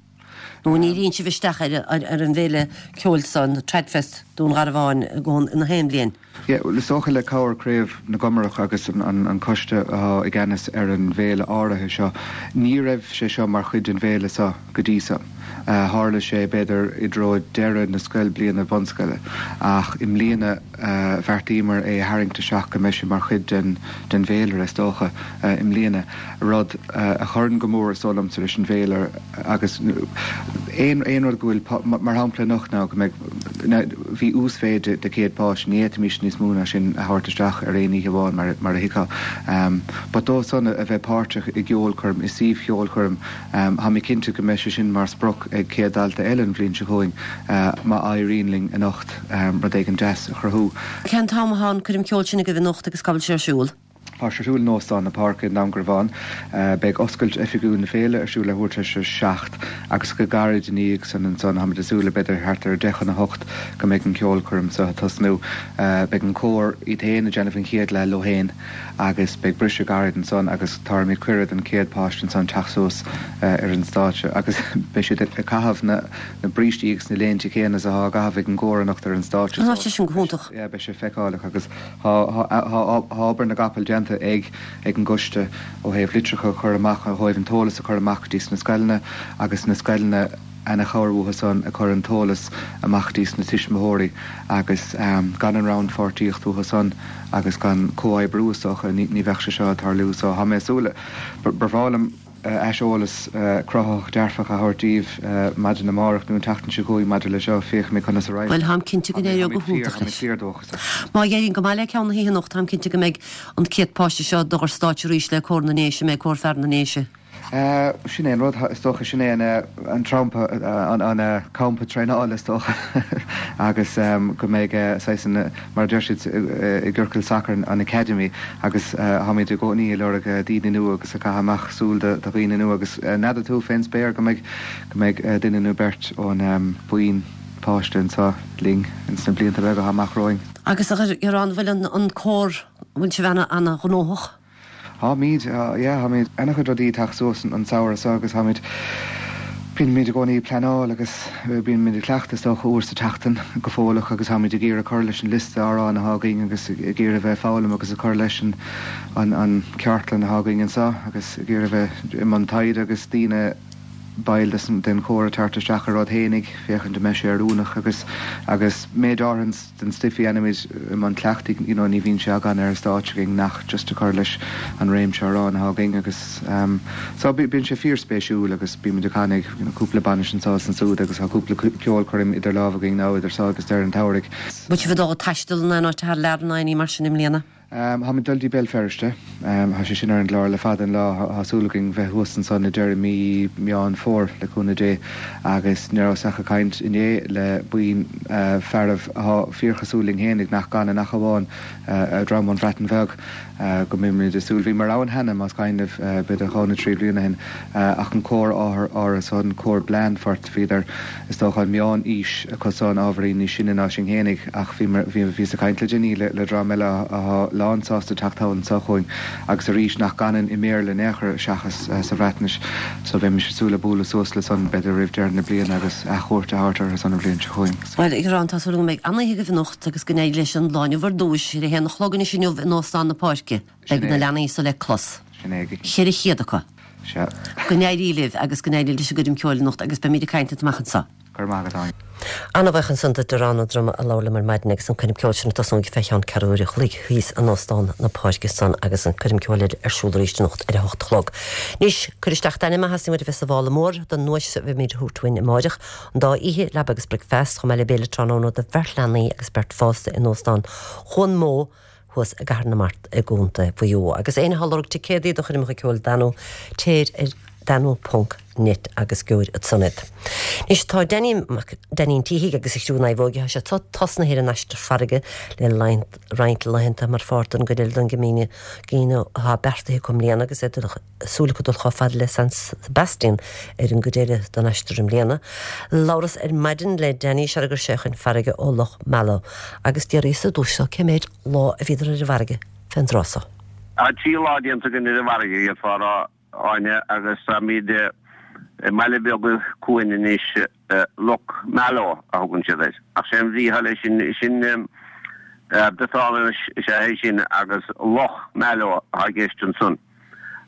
Nó an ndíríonn sibh isteach ar ar an bhféile ceoil so, an Tradfest, Dún Garbhán, i gcónaí gach aon bhliain? Yeah, bhuel is dócha le cabhair Craobh na gComarach agus an an an coiste atá i gceannas ar an bhféile áirithe seo, ní raibh sé seo mar chuid den bhféile seo go dtí seo. Tharla sé b'fhéidir i dtreo deireadh na scoilbliana bunscoile ach i mbliana bheartaíomar é a tharraingt isteach go mbeidh sé mar chuid den den bhféilire is dócha i mbliana, rud a chuireann go mór is dóigh liomsa leis an bhféile agus aon aon rud go bhfuil mar shampla anocht ná go mbeidh bhí uasmhéid de céad páiste, ní fhéadfaimis níos mó ná sin a thabhairt isteach ar aon oíche amháin mar mar a thuigfeá. But dóibh san a bheith páirteach i gceolchoirm, i suíomh cheolchoirm, Tá mé cinnte go mbeidh sé sin mar sprioc ag céad dalta eile an bhliain seo chugainn má éiríonn linn anocht rud éigin deas a chruthú. Cén t-am atá an coirm ceoil sin agaibh anocht agus cá bhfuil sé ar siúl? Tá sé ar siúl in Óstán na Páirce i nDún Garbhán. Beidh oscailt oifigiúil na féile ar siúl leathuair tar éis a seacht agus go gairid ina dhiaidh san ansan, táimid ag súil le b'fhéidir thart ar deich chun a hocht go mbeidh an ceolchoirm seo ag tosnú. Beidh an cór iad féin ag déanamh an chéad leath leo féin. agus beidh briseadh gairid ansan agus tabharfaimid cuireadh don chéad páiste ansan teacht suas ar an stáitse agus beidh siad ag caitheamh na na brístí agus na léinte céanna is atá á gcaitheamh ag an gcór anocht ar an stáitse so sé sin go hiontach. yeah beidh sé feiceálach agus tá tá tá obair na gcapall déanta ag ag an gcoiste ó thaobh litreacha a chur amach ó thaobh an t-eolas a chur amach go dtí sna scoileanna agus na scoileanna ana-chabhair uathu san ag cur an t-eolas amach dtís na tuismitheoirí agus gan an rannpháirtíocht uathu san agus gan comhoibriú is dócha ní bheadh sé seo ag tarlú so tá mé ag súil ba bhreá liom aiseolas cruthaitheach dearfach a thabhairt daoibh maidin amárach nó an tseachtain seo chugainn maidir le seo, féachfaidh mé conas a raghaidh. Bhuel, táim cinnte go n-éireoidh go hiontach leis. Má éiríonn go maith le ceann na hoíche anocht, táim cinnte go mbeidh an céad páiste seo ag dul ar stáitse arís le Cór na nDéise, mbeidh Cór Fear na nDéise. Sin é an rud, is dócha, sin é an trampa, an campa traenála, is dócha, agus go mbeidh saghas an, mar a deir siad i gciorcal sacair, an academy, agus táimid i gcónaí ag lorg daoine nua agus ag caitheamh amach súil do dhaoine nua agus n'fheadar tú fén spéir go mbeidh, go mbeidh duine nó beirt ón buíon páiste anseo linn ins na blianta beaga atá amach romhainn. Agus a Dhiarán, bhfuil an cór, bhfuil sibh ana-ghnóthach? Táimid, yeah, táimid ana-chuid rudaí ag teacht suas an samhradh seo agus táimid, bíonn muid i gcónaí ag pleanáil agus bíonn muid ag cleachtadh is dócha uair sa tseachtain go fóilleach agus táimid ag iarraidh cur leis an liosta amhrán atá againn agus ag iarraidh bheith ag foghlaim agus ag cur leis an an an ceardlann atá againn anseo agus ag iarraidh bheith i mbun taighde agus daoine baill den chór ag teacht isteach ar rud fhéinig féachaint an mbeidh sé oiriúnach agus agus méid áirithe den stuif a dhéanaimid i mbun cleachtaidh you know ní bhíonn sé againn ar an stáitse againn ach just a chur leis an réimse amhrán atá againn agus um so bíonn sé fíorspéisiúil agus bímid ag canadh you know cúpla bainis anseo is ansúd agus tá cúpla ceolchoirm idir lámha againn now idir seo agus deireadh an tsamhraidh. Bhfuil sibh ag dul ag taisteal in aon áit thar lear nó aon ní mar sin i mbliana? Táimid ag dul dtí Béal Feirste. Tá sé sin ar an gclár le fada an lá. Tá súil againn bheith thuas ansan i deireadh mí Meán Fómhair, le cúnamh Dé. Agus ní rabhas ach ag caint inné le buíon fearaibh atá fíorchosúil linn fhéinig, nach gcanann ach amháin dream ón Bhreatain Bheag, go mbeimid ag súil. Bhíomar ann cheana, más cuimhin libh, b'fhéidir dhá nó trí bliana ó shin, ach an cór áirithe san, cór Blandford, bhíodar, is dócha, an meán-aois acu san, ábhairín níos sine ná sinn fhéinig, ach bhí, bhíos ag caint le déanaí le, le dream eile atá lán sásta teacht thall anseo chugainn agus arís nach gcanann i mBéarla in aon chor seachas sa Bhreatnais so bheimis ag súil le bualadh suas leo san b'fhéidir roimh deireadh na bliana agus athchuairt a thabhairt orthu san an bhliain seo chugainn. Bhuel, a Dhiaráin, tá súil agam go mbeidh an-oíche agaibh anocht agus go n-éirí leis an lá inniu ar dtúis ar a haon a chlog anois inniu in Óstán na Páirce. Sin Beidh na é. leanaí so le clos. Sin é. Ceithre chéad acu. Sea. Go n-éirí libh agus go n-éirí leis an gcoirm ceoil anocht agus beimid ag caint leat amach anseo. Go raibh maith agat, Áine. An-bhuíoch ansan do Dhiarán Ó Droma a labhair liom ar maidin agus an coirm ceoil sin ag tosnú fé cheann ceathrú uair a chloig thíos in Óstán na Páirce san agus an coirm ceoil eile ar siúl arís anocht ar a hocht a chlog. Anois, cuir isteach d'ainm má theastaíonn uait a bheith sa mhála mór don nduais a bheimid a thabhairt uainn amáireach, an dá oíche, leaba agus bricfeast, chomh maith le béile tráthnóna do bheirt leanaí agus beirt fásta in Óstán Chuan Mó, thuas i gCathair na Mart i gContae Mhaigh Eo. Agus éinne atá ag lorg ticéadaí do choirmeacha ceoil Danú, téir ar danú ponc net agus gheobhair ansan iad. Anois tá Danny Mac Danny an tSíthigh agus a chriú Naomhóige, tá siad tosnaithe ar an aistear farraige le roinnt laethanta mar pháirt den gcuid eile den Camino atá beartaithe acu i mbliana agus iad súil acu dul chomh fada le San Sebastian ar an gcuid eile den aistear i mbliana. Labhras ar maidin le Danny sara raibh sé chun farraige ó Loch Meala agus d'fhiafraíos ar dtús de cé méid lá a bhíodar ar an bhfarraige fén dtráth so. Tá trí lá déanta againn ar an bhfarraige, d'fhéadfá a rá, Áine, agus táimid i mbaile beag cuain anois, Loch Malo a thugann siad air. Ach sé an bhrí atá leis sin, sin Briotáinis is ea é sin agus Loch Malo atá i gceist ansan.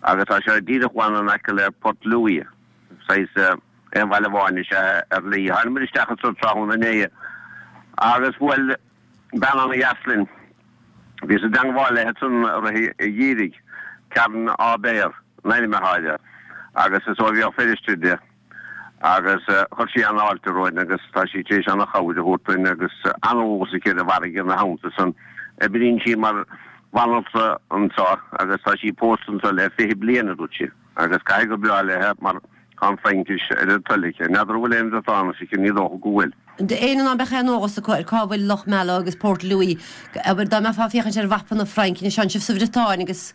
Agus tá sé díreach amháin in aice le Port Louis, saghas aon bhaile amháin is ea é ar Laoi. Tháinig muid isteach anso tráthnóna inné agus bhuail bean ana-dheas linn. Bhíos i dteangmháil léi ansan i rith an gheimhridh, Karen Aubert an ainm atá uirthi, agus is ó Bhéal Feirste di, agus chuir sí an-fháilte romhainn agus tá sí tar éis an-chabhair a thabhairt dúinn agus an-eolas aici ar an bhfarraige ina theannta san. Oibríonn sí mar bhanaltra anso agus tá sí pósta anso le fiche bliain, a dúirt sí, agus caithfidh gur breá léi mar tá an Fraincis ar a toil aici. N'fheadar an bhfuil aon Bhriotáinis aici, ní dócha go bhfuil. D'éinne ná beadh aon eolas acu ar cá bhfuil Loch Meala agus Port Louis, abair, dá mbeifeá ag féachaint ar mhapa na Fraince, anois tánn sibh sa Bhriotáin agus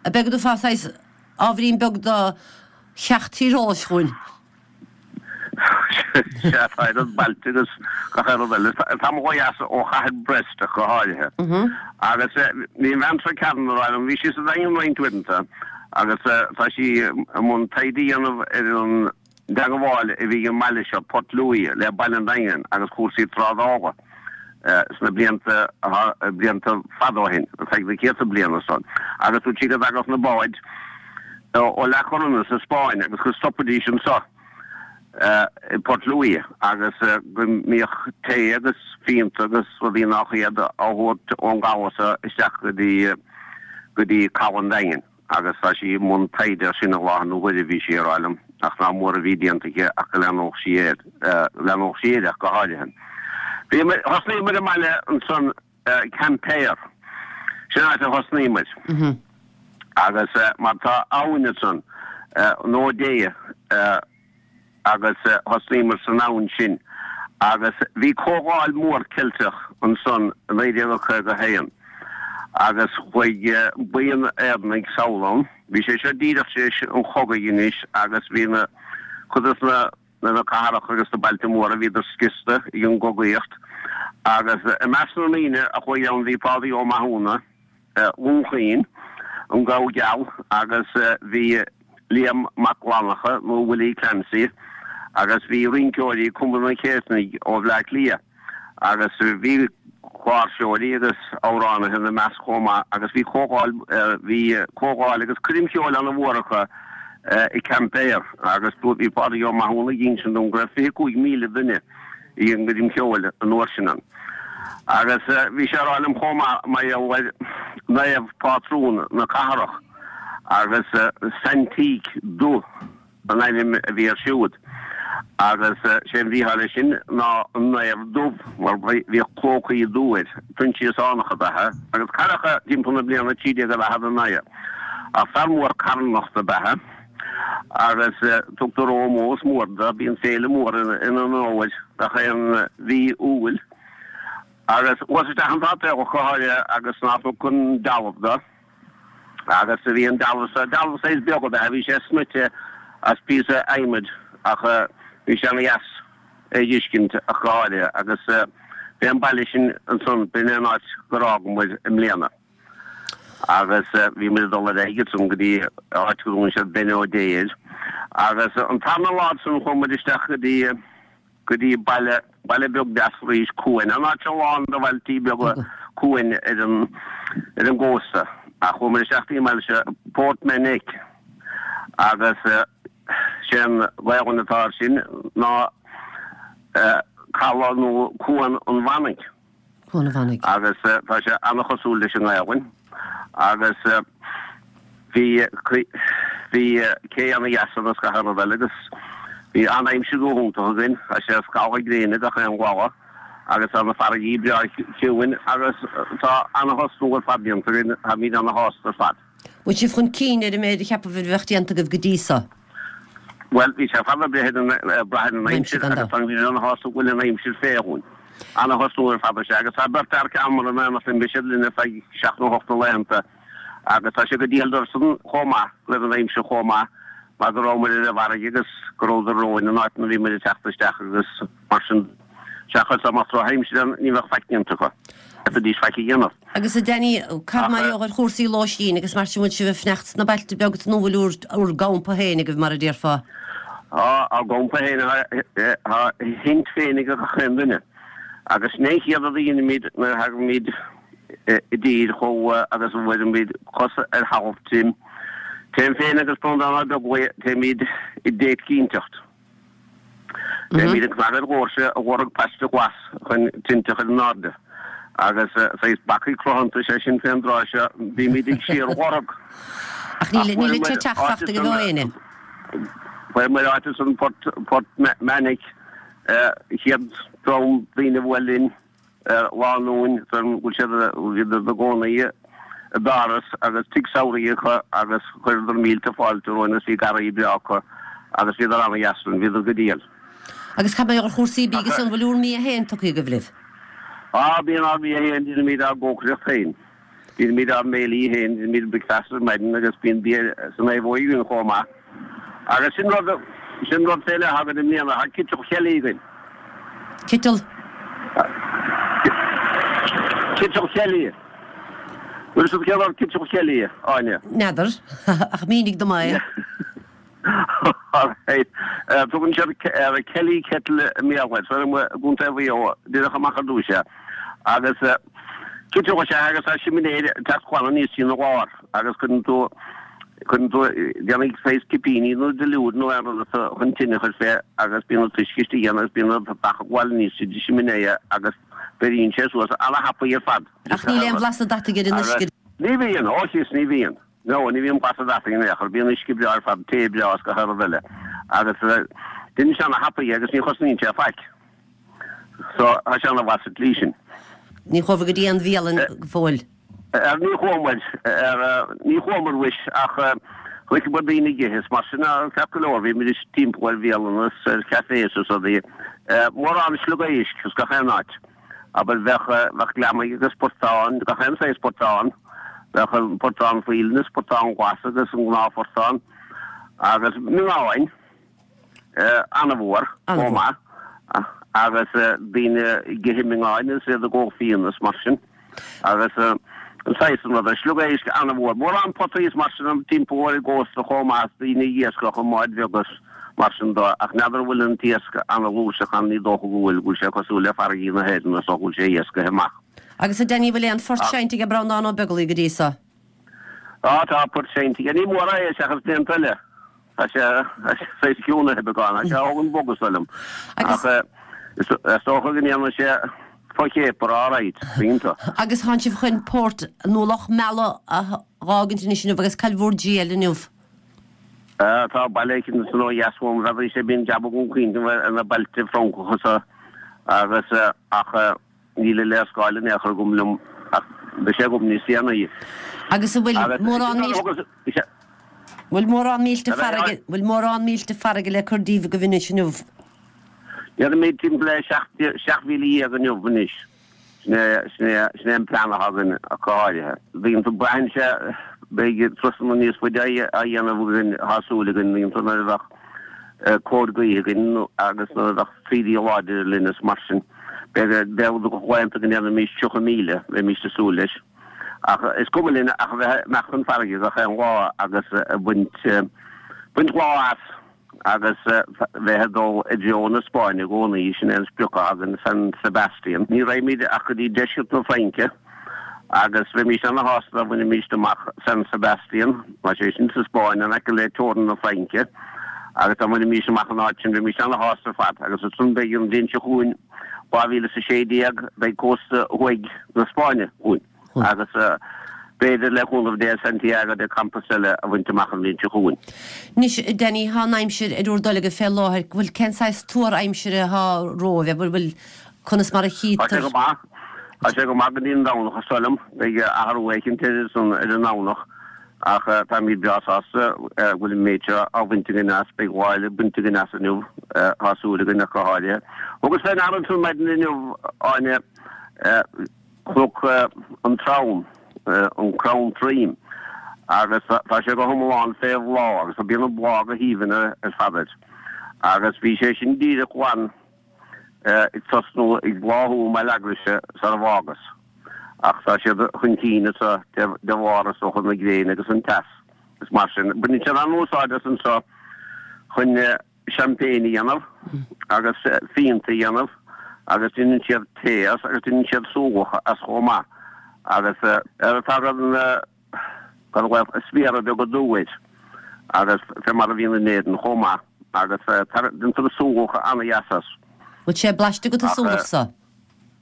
ab é go dtabharfá saghas ábhairín beag de cheacht tíreolais dhúinn. Sea, tá idir bailte agus gach aon rud eile. Tamall ó dheas ó chathair Brest ach go háirithe. Agus bhí an bhean seo Karen ag rá liom, bhí sí sa Daingean roinnt uaireanta agus tá sí i mbun taighde a dhéanamh ar an dteagmháil a bhí ag an mbaile seo, Port Louis, le baile an Daingin agus cúrsaí trádála sna blianta blianta fada ó shin, ar feadh na céadta bliain ansan. Agus dúirt sí go dtagadh na báid ó La Coruña sa Spáinn agus go stopaidís anso. i Port Louis agus go mbíodh tae agus fíonta agus rudaí nach iad á thabhairt ón gcabhsa isteach go dtí go dtí Caladh an Daingin agus tá sí i mbun taighde air sin i láthair na huaire bhí sí ag rá liom ach nach mór a bhí déanta aici ach go leanódh sí air leanódh sí air ach go háirithe. Bhí thosnaíomar i mbaile ansan Quimper. Sin áit a thosnaíomar. Agus mar tá abhainn ansan an Odet agus thosnaíomar san abhainn sin agus bhí comhdháil mhór Ceilteach ansan i naoi déag caoga a haon agus chuaigh buíon Éireannaigh sall ann. Bhí sé seo díreach tar éis an chogaidh anois agus bhí na cuid de na na cathracha agus na bailte móra bhíodar scriosta ag an gcogaíocht agus i measc na ndaoine a chuaigh ann bhí Pádraig Ó Mathúna, Dhún Chaoin, an Gabha Geal agus bhí Liam Mac Fhlannchadha nó Willie Clancy agus bhí rinceoirí Cumann an Chéitinnigh ó Bhleá Cliath agus bhí cláirseoirí agus amhránaithe ina measc chomh maith agus bhí comhdháil bhí comhdháil agus coirm cheoil ana-mhór acu i Quimper agus bhí Pádraig Ó Mathúna ag insint dom go raibh fiche cúig míle duine ag an gcoirm cheoil an uair sin ann. Agus bhí sé ag rá liom chomh maith mar gheall ar naomh pátrún na cathrach agus Saint Teac Dubh an ainm a bhí air siúd agus sé an bhrí atá leis sin ná an naomh dubh mar bhíodh clócaí dubha air, Proinsiasánach ab ea agus cailleadh é timpeall na bliana trí déag daichead a naoi. Ach fear mór carthanachta ab ea agus tugtar ómós mór dó, bíonn féile mór ina onóir gach aon mhí Iúil agus chuas isteach an sáipéal go háirithe agus nach thug an dealbh do. Agus bhí an dealbh sa, dealbh saghas beag ab ea, bhí sé snoite as píosa adhmaid ach bhí sé ana dheas é dh'fheiscint ach go háirithe agus b'é an baile sin ansan, b'in é an áit gur fhág muid i mbliana. Agus bhí muid ag dul ar aghaidh ansan go dtí áit go dtugann siad Bénodet air. Agus an tarna lá ansan chuaigh muid isteach go dtí go dtí baile, baile beag deas arís, cuain, an áit seo lán de bhailtí beaga cuain ar an, ar an gcósta. Ach chuaigh muid isteach dtí an mbaile seo, Port Menec, agus sé an Ghaelainn atá air sin ná caladh nó Cuan an Mhanaigh. Cuan an Mhanaigh. Agus tá sé an-chosúil leis an nGaelainn. Agus bhí, bhí cé ana-dheas ann agus gach aon rud eile agus bhí an-aimsir go hiontach againn. Tá sé ag scalladh gréine gach aon lá agus tá na farraigí breá ciúin agus tá ana-thosnú ar fad déanta againn, táimid ana-shásta ar fad. Bhfuil sibh chun cinn ar an méid a cheapaibh a bheadh déanta agaibh go dtí so? Bhuel, bhí sé fada breith ar an, brath ar an aimsir agus táimid ana-shásta go bhfuil an aimsir fé dhúinn. Ana-thosnú ar fad is ea agus tá beirt fhear ceann in éineacht linn, beidh siad linn ar feadh seacht nó hocht de laethanta agus tá sé go diail dóibhsan chomh maith go raibh an aimsir chomh maith mar go rabhamar ar an bhfarraige agus go rabhadar romhainn in áit ina bhí muid ag teacht isteach agus mar sin seachas dá mbeadh drochaimsir ann ní bheadh faic déanta acu. D'fhéadfaidís faic a dhéanamh. Agus a Danny, cad mar gheall ar chúrsaí lóistín agus mar sin bhfuil sibh ag fanacht sna bailte beaga nó bhfuil bhur bhur gcampa féin agaibh mar a déarfá? Tá ár gcampa féin, tá a thint féin ag gach aon duine. Agus sin é an chéad rud a dheinimid nuair a thagaimid i dtír chomh agus a bhfuilimid cos ar thalamh tirim. Téim féin agus Breandán Ó Beaglaoich, téimid i dteit cinnteacht. Téimid ag cnagadh ar dhoirse ag lorg paiste glas chun tinte a chur in airde. Agus saghas bacaigh cruthanta, sé sin fén dtráth seo, bímid ag síorlorg. Ach níl an teach fachta ag éinne. Fuair muid áit ansan Port Port Menec, chéad dream daoine a bhuail linn, lánúin, go bhfuil siad, bhíodar ina gcónaí i bPáras agus tigh samhraidh acu agus chuireadar mílte fáilte romhainn agus bhí garraí breá acu agus bhíodar ana-dheas linn, bhíodar go diail. Agus cad mar gheall ar chúrsaí bídh agus an bhfuil bhur mbia féin tugtha agaibh libh? Á, bíonn ár mbia féin, déanaimid ár gcócaireacht féin. Déanaimid ár mbéilí féin, déanaimid bricfeasta ar maidin agus bíonn bia san naomhóig againn chomh maith. Agus sin rud, sin rud fé leith againn i mbliana, tá citeal céilí againn. Citeal? Citeal céilí. Bhfuil fhios agat céard é citeal céilí, Áine? N'fheadar, ach mínigh dom é. Alright. Tugann siad Kelly Kettle i mBéarla air, so i gContae Mhaigh Eo, díreach amach ar dtús é. Agus citeal is ea agus tá siminéir ag teacht glan aníos trína lár agus cuireann tú Cuireann tú, déanfaidh saghas cipíní nó duilliúr nó aon rud as chun tine a chur fé agus bíonn an t-uisce istigh ann agus bíonn an beach ag gabháil aníos tríd an simné agus beiríonn sé suas ana-thapaidh ar fad. Ach níl aon bhlas deataigh ar an uisce. Ní bhíonn, ó síos ní bhíonn. No, ní bhíonn blas deataigh in aon chor, bíonn uisce breá ar fad, tae breá is gach aon rud eile. Agus déanann sé ana-thapaidh agus ní chosnaíonn sé faic. So, tá sé ana-mhaith sa tslí sin. Ní chuabhair go dtí an bhialann go fóill. Ar ní chuamar, ar ní chuamar mhuis ach chonaiceamar daoine ag ithe is mar sin ceart go leor, bhí muid timpeall ar bhialanna is ar chafés is rudaí. Mórán sliogaisc is gach aon áit. Abair bheadh, bheadh gliomaigh agus portáin, gach aon saghas portán. Bheadh an portán faoileáin is portán glas agus an gnáthphortán agus miongáin. An-mhór chomh maith agus daoine ag ithe miongáin is iad ag ól fíona is mar sin agus an saghas san rud. Sliogéisc an-mhór. Mórán potaí is mar sin timpeall ar an gcósta chomh maith is daoine ag iascach i mbáid bheaga is mar sin de ach n'fheadar an bhfuil an t-iasc an-fhlúirseach ann, ní dócha go bhfuil, go bhfuil sé cosúil le farraigí na hÉireann is dócha go bhfuil sé iascaithe amach. Agus a Danny, bhfuil aon phort seinnte ag Breandán Ó Beaglaoi go dtí so? Á tá port seinnte aige. Ní mór é seachas blianta eile. Tá sé saghas ciúnaithe beagán. Tá sé á thógaint bog is dóigh liom. Ach is dócha go ndéanann sé fo-chéapar alright, iontach. Agus tánn sibh chun port nó Loch Meala a dh'fhágaint anois inniu agus cá bhfuil bhur dtriall inniu? Tá baile éicint ansan ó dheas uaim, n'fheadar sé bíonn jab agam caointe ar na bailte Francacha so agus ach níl an léarscáil in aon chor agam liom ach beidh sé agam níos déanaí. Agus an bhfuil mórán bhfuil mórán mílte farraige bhfuil mórán mílte farraige le cur díobh agaibh anois inniu? Déanfaimid timpeall le seacht mhíle dhéag inniu anois. Sin é sin é sin é an plean atá againn ach go háirithe. Bíonn tú braitheann sé beidh turasanna níos faide á dhéanamh againn tá súil againn bíonn tú nuair a bheadh cóir gaoithe againn agus nuair a bheadh taoidí láidre linn is mar sin. Beidh beidh laethanta go ndéanfaimis tríocha míle, bheimis ag súil leis. Ach is cuma linn ach a bheith amach chun farraige gach aon lá agus ag baint baint lá as agus bheith ag dul i dtreo na Spáinne i gcónaí, sin é an sprioc atá againn, San Sebastian. Ní raghaimid ach go dtí deisceart na Fraince agus bheimís ana-shásta dá mbainfimís amach San Sebastian, tá sé sin sa Spáinn, in aice le teorainn na Fraince, agus dá mbainfimís amach an áit sin bheimís ana-shásta ar fad. Agus ansan beidh an bhliain seo chugainn, dhá mhíle is a sé déag, beidh cósta thuaidh na Spáinne chugainn. Agus b'fhéidir, le cúnamh Dé, Santiago de Compostela a bhaint amach an bhliain seo chugainn. Anois, a Danny, thá an aimsir ar bhur dtoil agaibh fé láthair. Bhfuil, cén saghas tuar aimsire athá romhaibh? Bhfuil, bhfuil, conas mar a Tá sé chítear? go maith. Tá sé go maith go dtí an Domhnach, is dóigh liom. Beidh athrú éicint ar san, ar an nDomhnach. Ach táimid breá sásta go bhfuil an méid seo á bhaint againn as. Beidh lá eile bainte againn as inniu, tá súil againn ach go háirithe. Thugas fé ndeara ansan maidin inniu, Áine, Cnoc an Trom, an crann troim, agus tá sé go hiomlán fé bhláth agus bíonn an bláth go haoibhinn ar fad air. Agus bhí sé sin díreach glan ag tosnú ag bláthú i mBaile Eagraise sar a bhfágas. Ach tá siad chun cinn anso de bharr is dócha na gréine agus an teas is mar sin. Baineann siad an-úsáid as anso chun champagne a dhéanamh agus fíonta a dhéanamh agus déanann siad tae as agus déanann siad súgach as chomh maith agus ar tagann sméara beaga dubha air agus fé mar a bhíonn in Éirinn chomh maith agus déantar súgach ana-dheas as. Bhfuil sé blaiste agat an súgach so?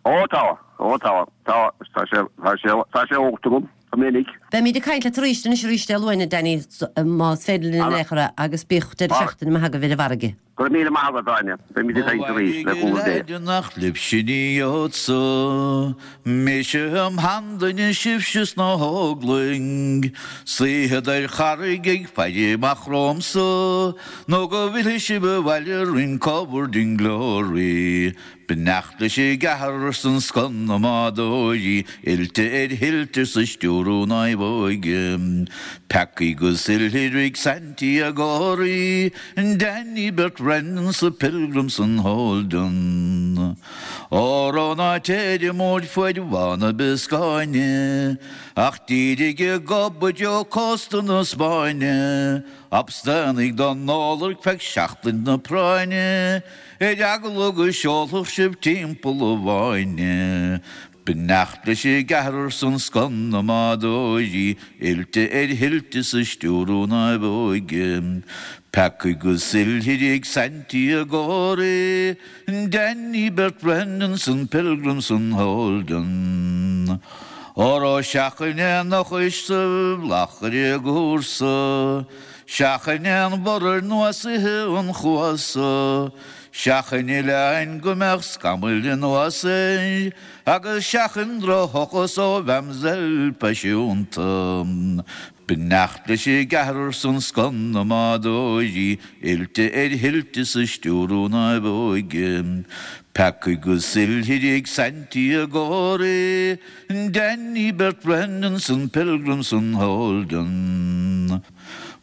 Ó tá, ó tá, tá, tá sé, tá sé, tá sé ólta agam, go minic. Beimid ag caint leat arís anois arís Dé Luain, a Danny, más féidir linn in aon chor é, agus bíodh deireadh seachtaine maith agaibh ar an bhfarraige. Go raibh míle maith agat, Áine. Beimid ag caint arís, le cúnamh Dé. Ó nach libhse ní gheobhadsa mise im sheanduine sibhse sna hóglaigh suífead ar charraig ag faire amach romhamsa nó go bhfillfidh sibh abhaile in covered in glory Beannacht leis an gceathrar 's an scoth na mbádóirí oilte ar thuilte 's ag stiúradh naomhóige Peacaigh 'gus oilithrigh Santiagóirí Danny beirt Brendan 's Pilgrim 's an Holden Óró ná téir i fuaid Bhá na Bioscáine ach dírigh ag gob i dtreo cósta na Spáinne Abstánaigh don ól ar feadh seachtain na práinne Ar eagla go seolfadh sibh timpeall an bhfáinne. Beannacht leis an gceathrar san scoth na mbádóirí, oilte ar thuilte 's ag stiúradh naomhóige. Peacaigh agus oilithrigh Santiago re, Danny Bert Brennan 's an Pilgrim 's an Holden. Óró seachain aon eochais sa bhfleadh ar an gcúrsa, Seachain aon bhodhar nó soitheach an chuasa, Seachain oileáin go mbeadh scamaill anuas air, Agus seachain drochshochas ó mhamselle phaisiúnta. Beannacht leis an gceathrar san scoth na mbádóirí, Oilte ar thuilte 's ag stiúradh naomhóige. Peacaigh agus oilithrigh Santiago re, Danny Bert Brennan 's an Pilgrim 's an Holden.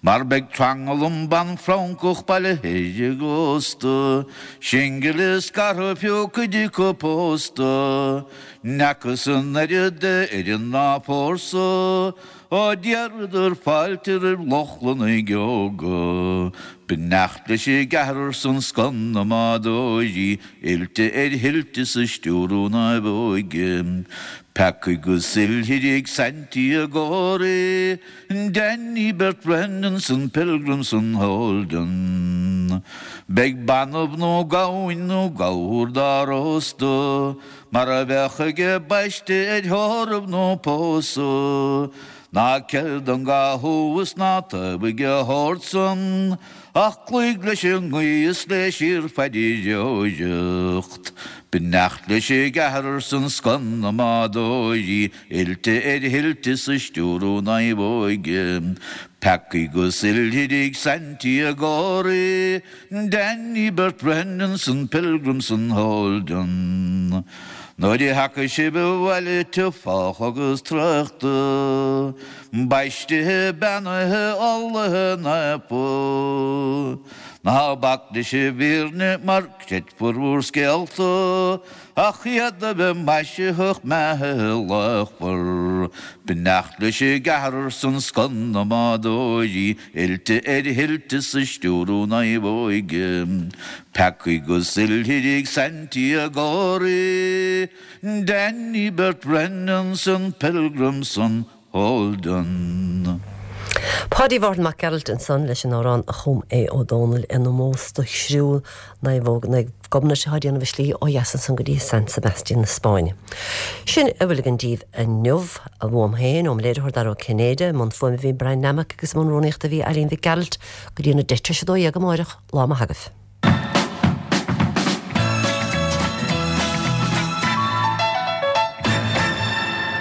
Mar beidh tranglam ban Francach bailithe ar an gcósta, Singil is scartha fiú cuid acu pósta, N'fheacthas an oiread de ar an ndá fórsa, Ó d'iarradar fáilte roimh Lochlannaigh óga. Beannacht leis an gceathrar san scoth na mbádóirí, Oilte ar thuilte 's ag stiúradh naomhóige. Peacaigh agus oilithrigh Santiago re, Danny Bert Brennan 's an Pilgrim 's an Holden. Beidh banbh nó gamhain nó gabhar dá róstadh, Mar a bheadh ag baisteadh ar thórramh nó pósadh, Ná ceil don gcathú is ná taobhaigh a shórt san, Ach cloígh leis an ngaoth is le síorphaidreoireacht. Beannacht leis an gceathrar san scoth na mbádóirí, Oilte ar thuilte 's ag stiúradh naomhóige. Peacaigh agus oilithrigh Santiago re, Danny Bert Brennan 's an Pilgrim 's an Holden. Nuair a thiocfaidh sibh abhaile tiubh sách agus traochta, baistithe, beannaithe, umhlaithe, naofa, ná bac leis an bhfírinne mar creidfear bhur scéalta, ach iad a bheith maisitheach meathaithe luachmhar. Beannacht leis an gceathrar san scoth na mbádóirí, oilte ar thuilte 's ag stiúradh naomhóige. Peacaigh agus oilithrigh Santiago re, Danny Bert Brennan 's an Pilgrim 's an Holden. Páidí Mhárthain Mac Gearailt ansan leis an amhrán a chum Aodh Ó Dónaill in ómós do chriú Naomhóg Naomh Gobnait atá ag déanamh a slí ó dheas ansan go dtí San Sebastian na Spáinne. Sin a bhfuil againn daoibh inniu uaim féin óm léiritheoir Dara Ó Cinnéide, i mbun fuaime bhí Brian Nammock agus i mbun rúnaíochta bhí Eileen Mhic Gearailt go dtí na deich tar éis a dó dhéag amáireach lá maith agaibh.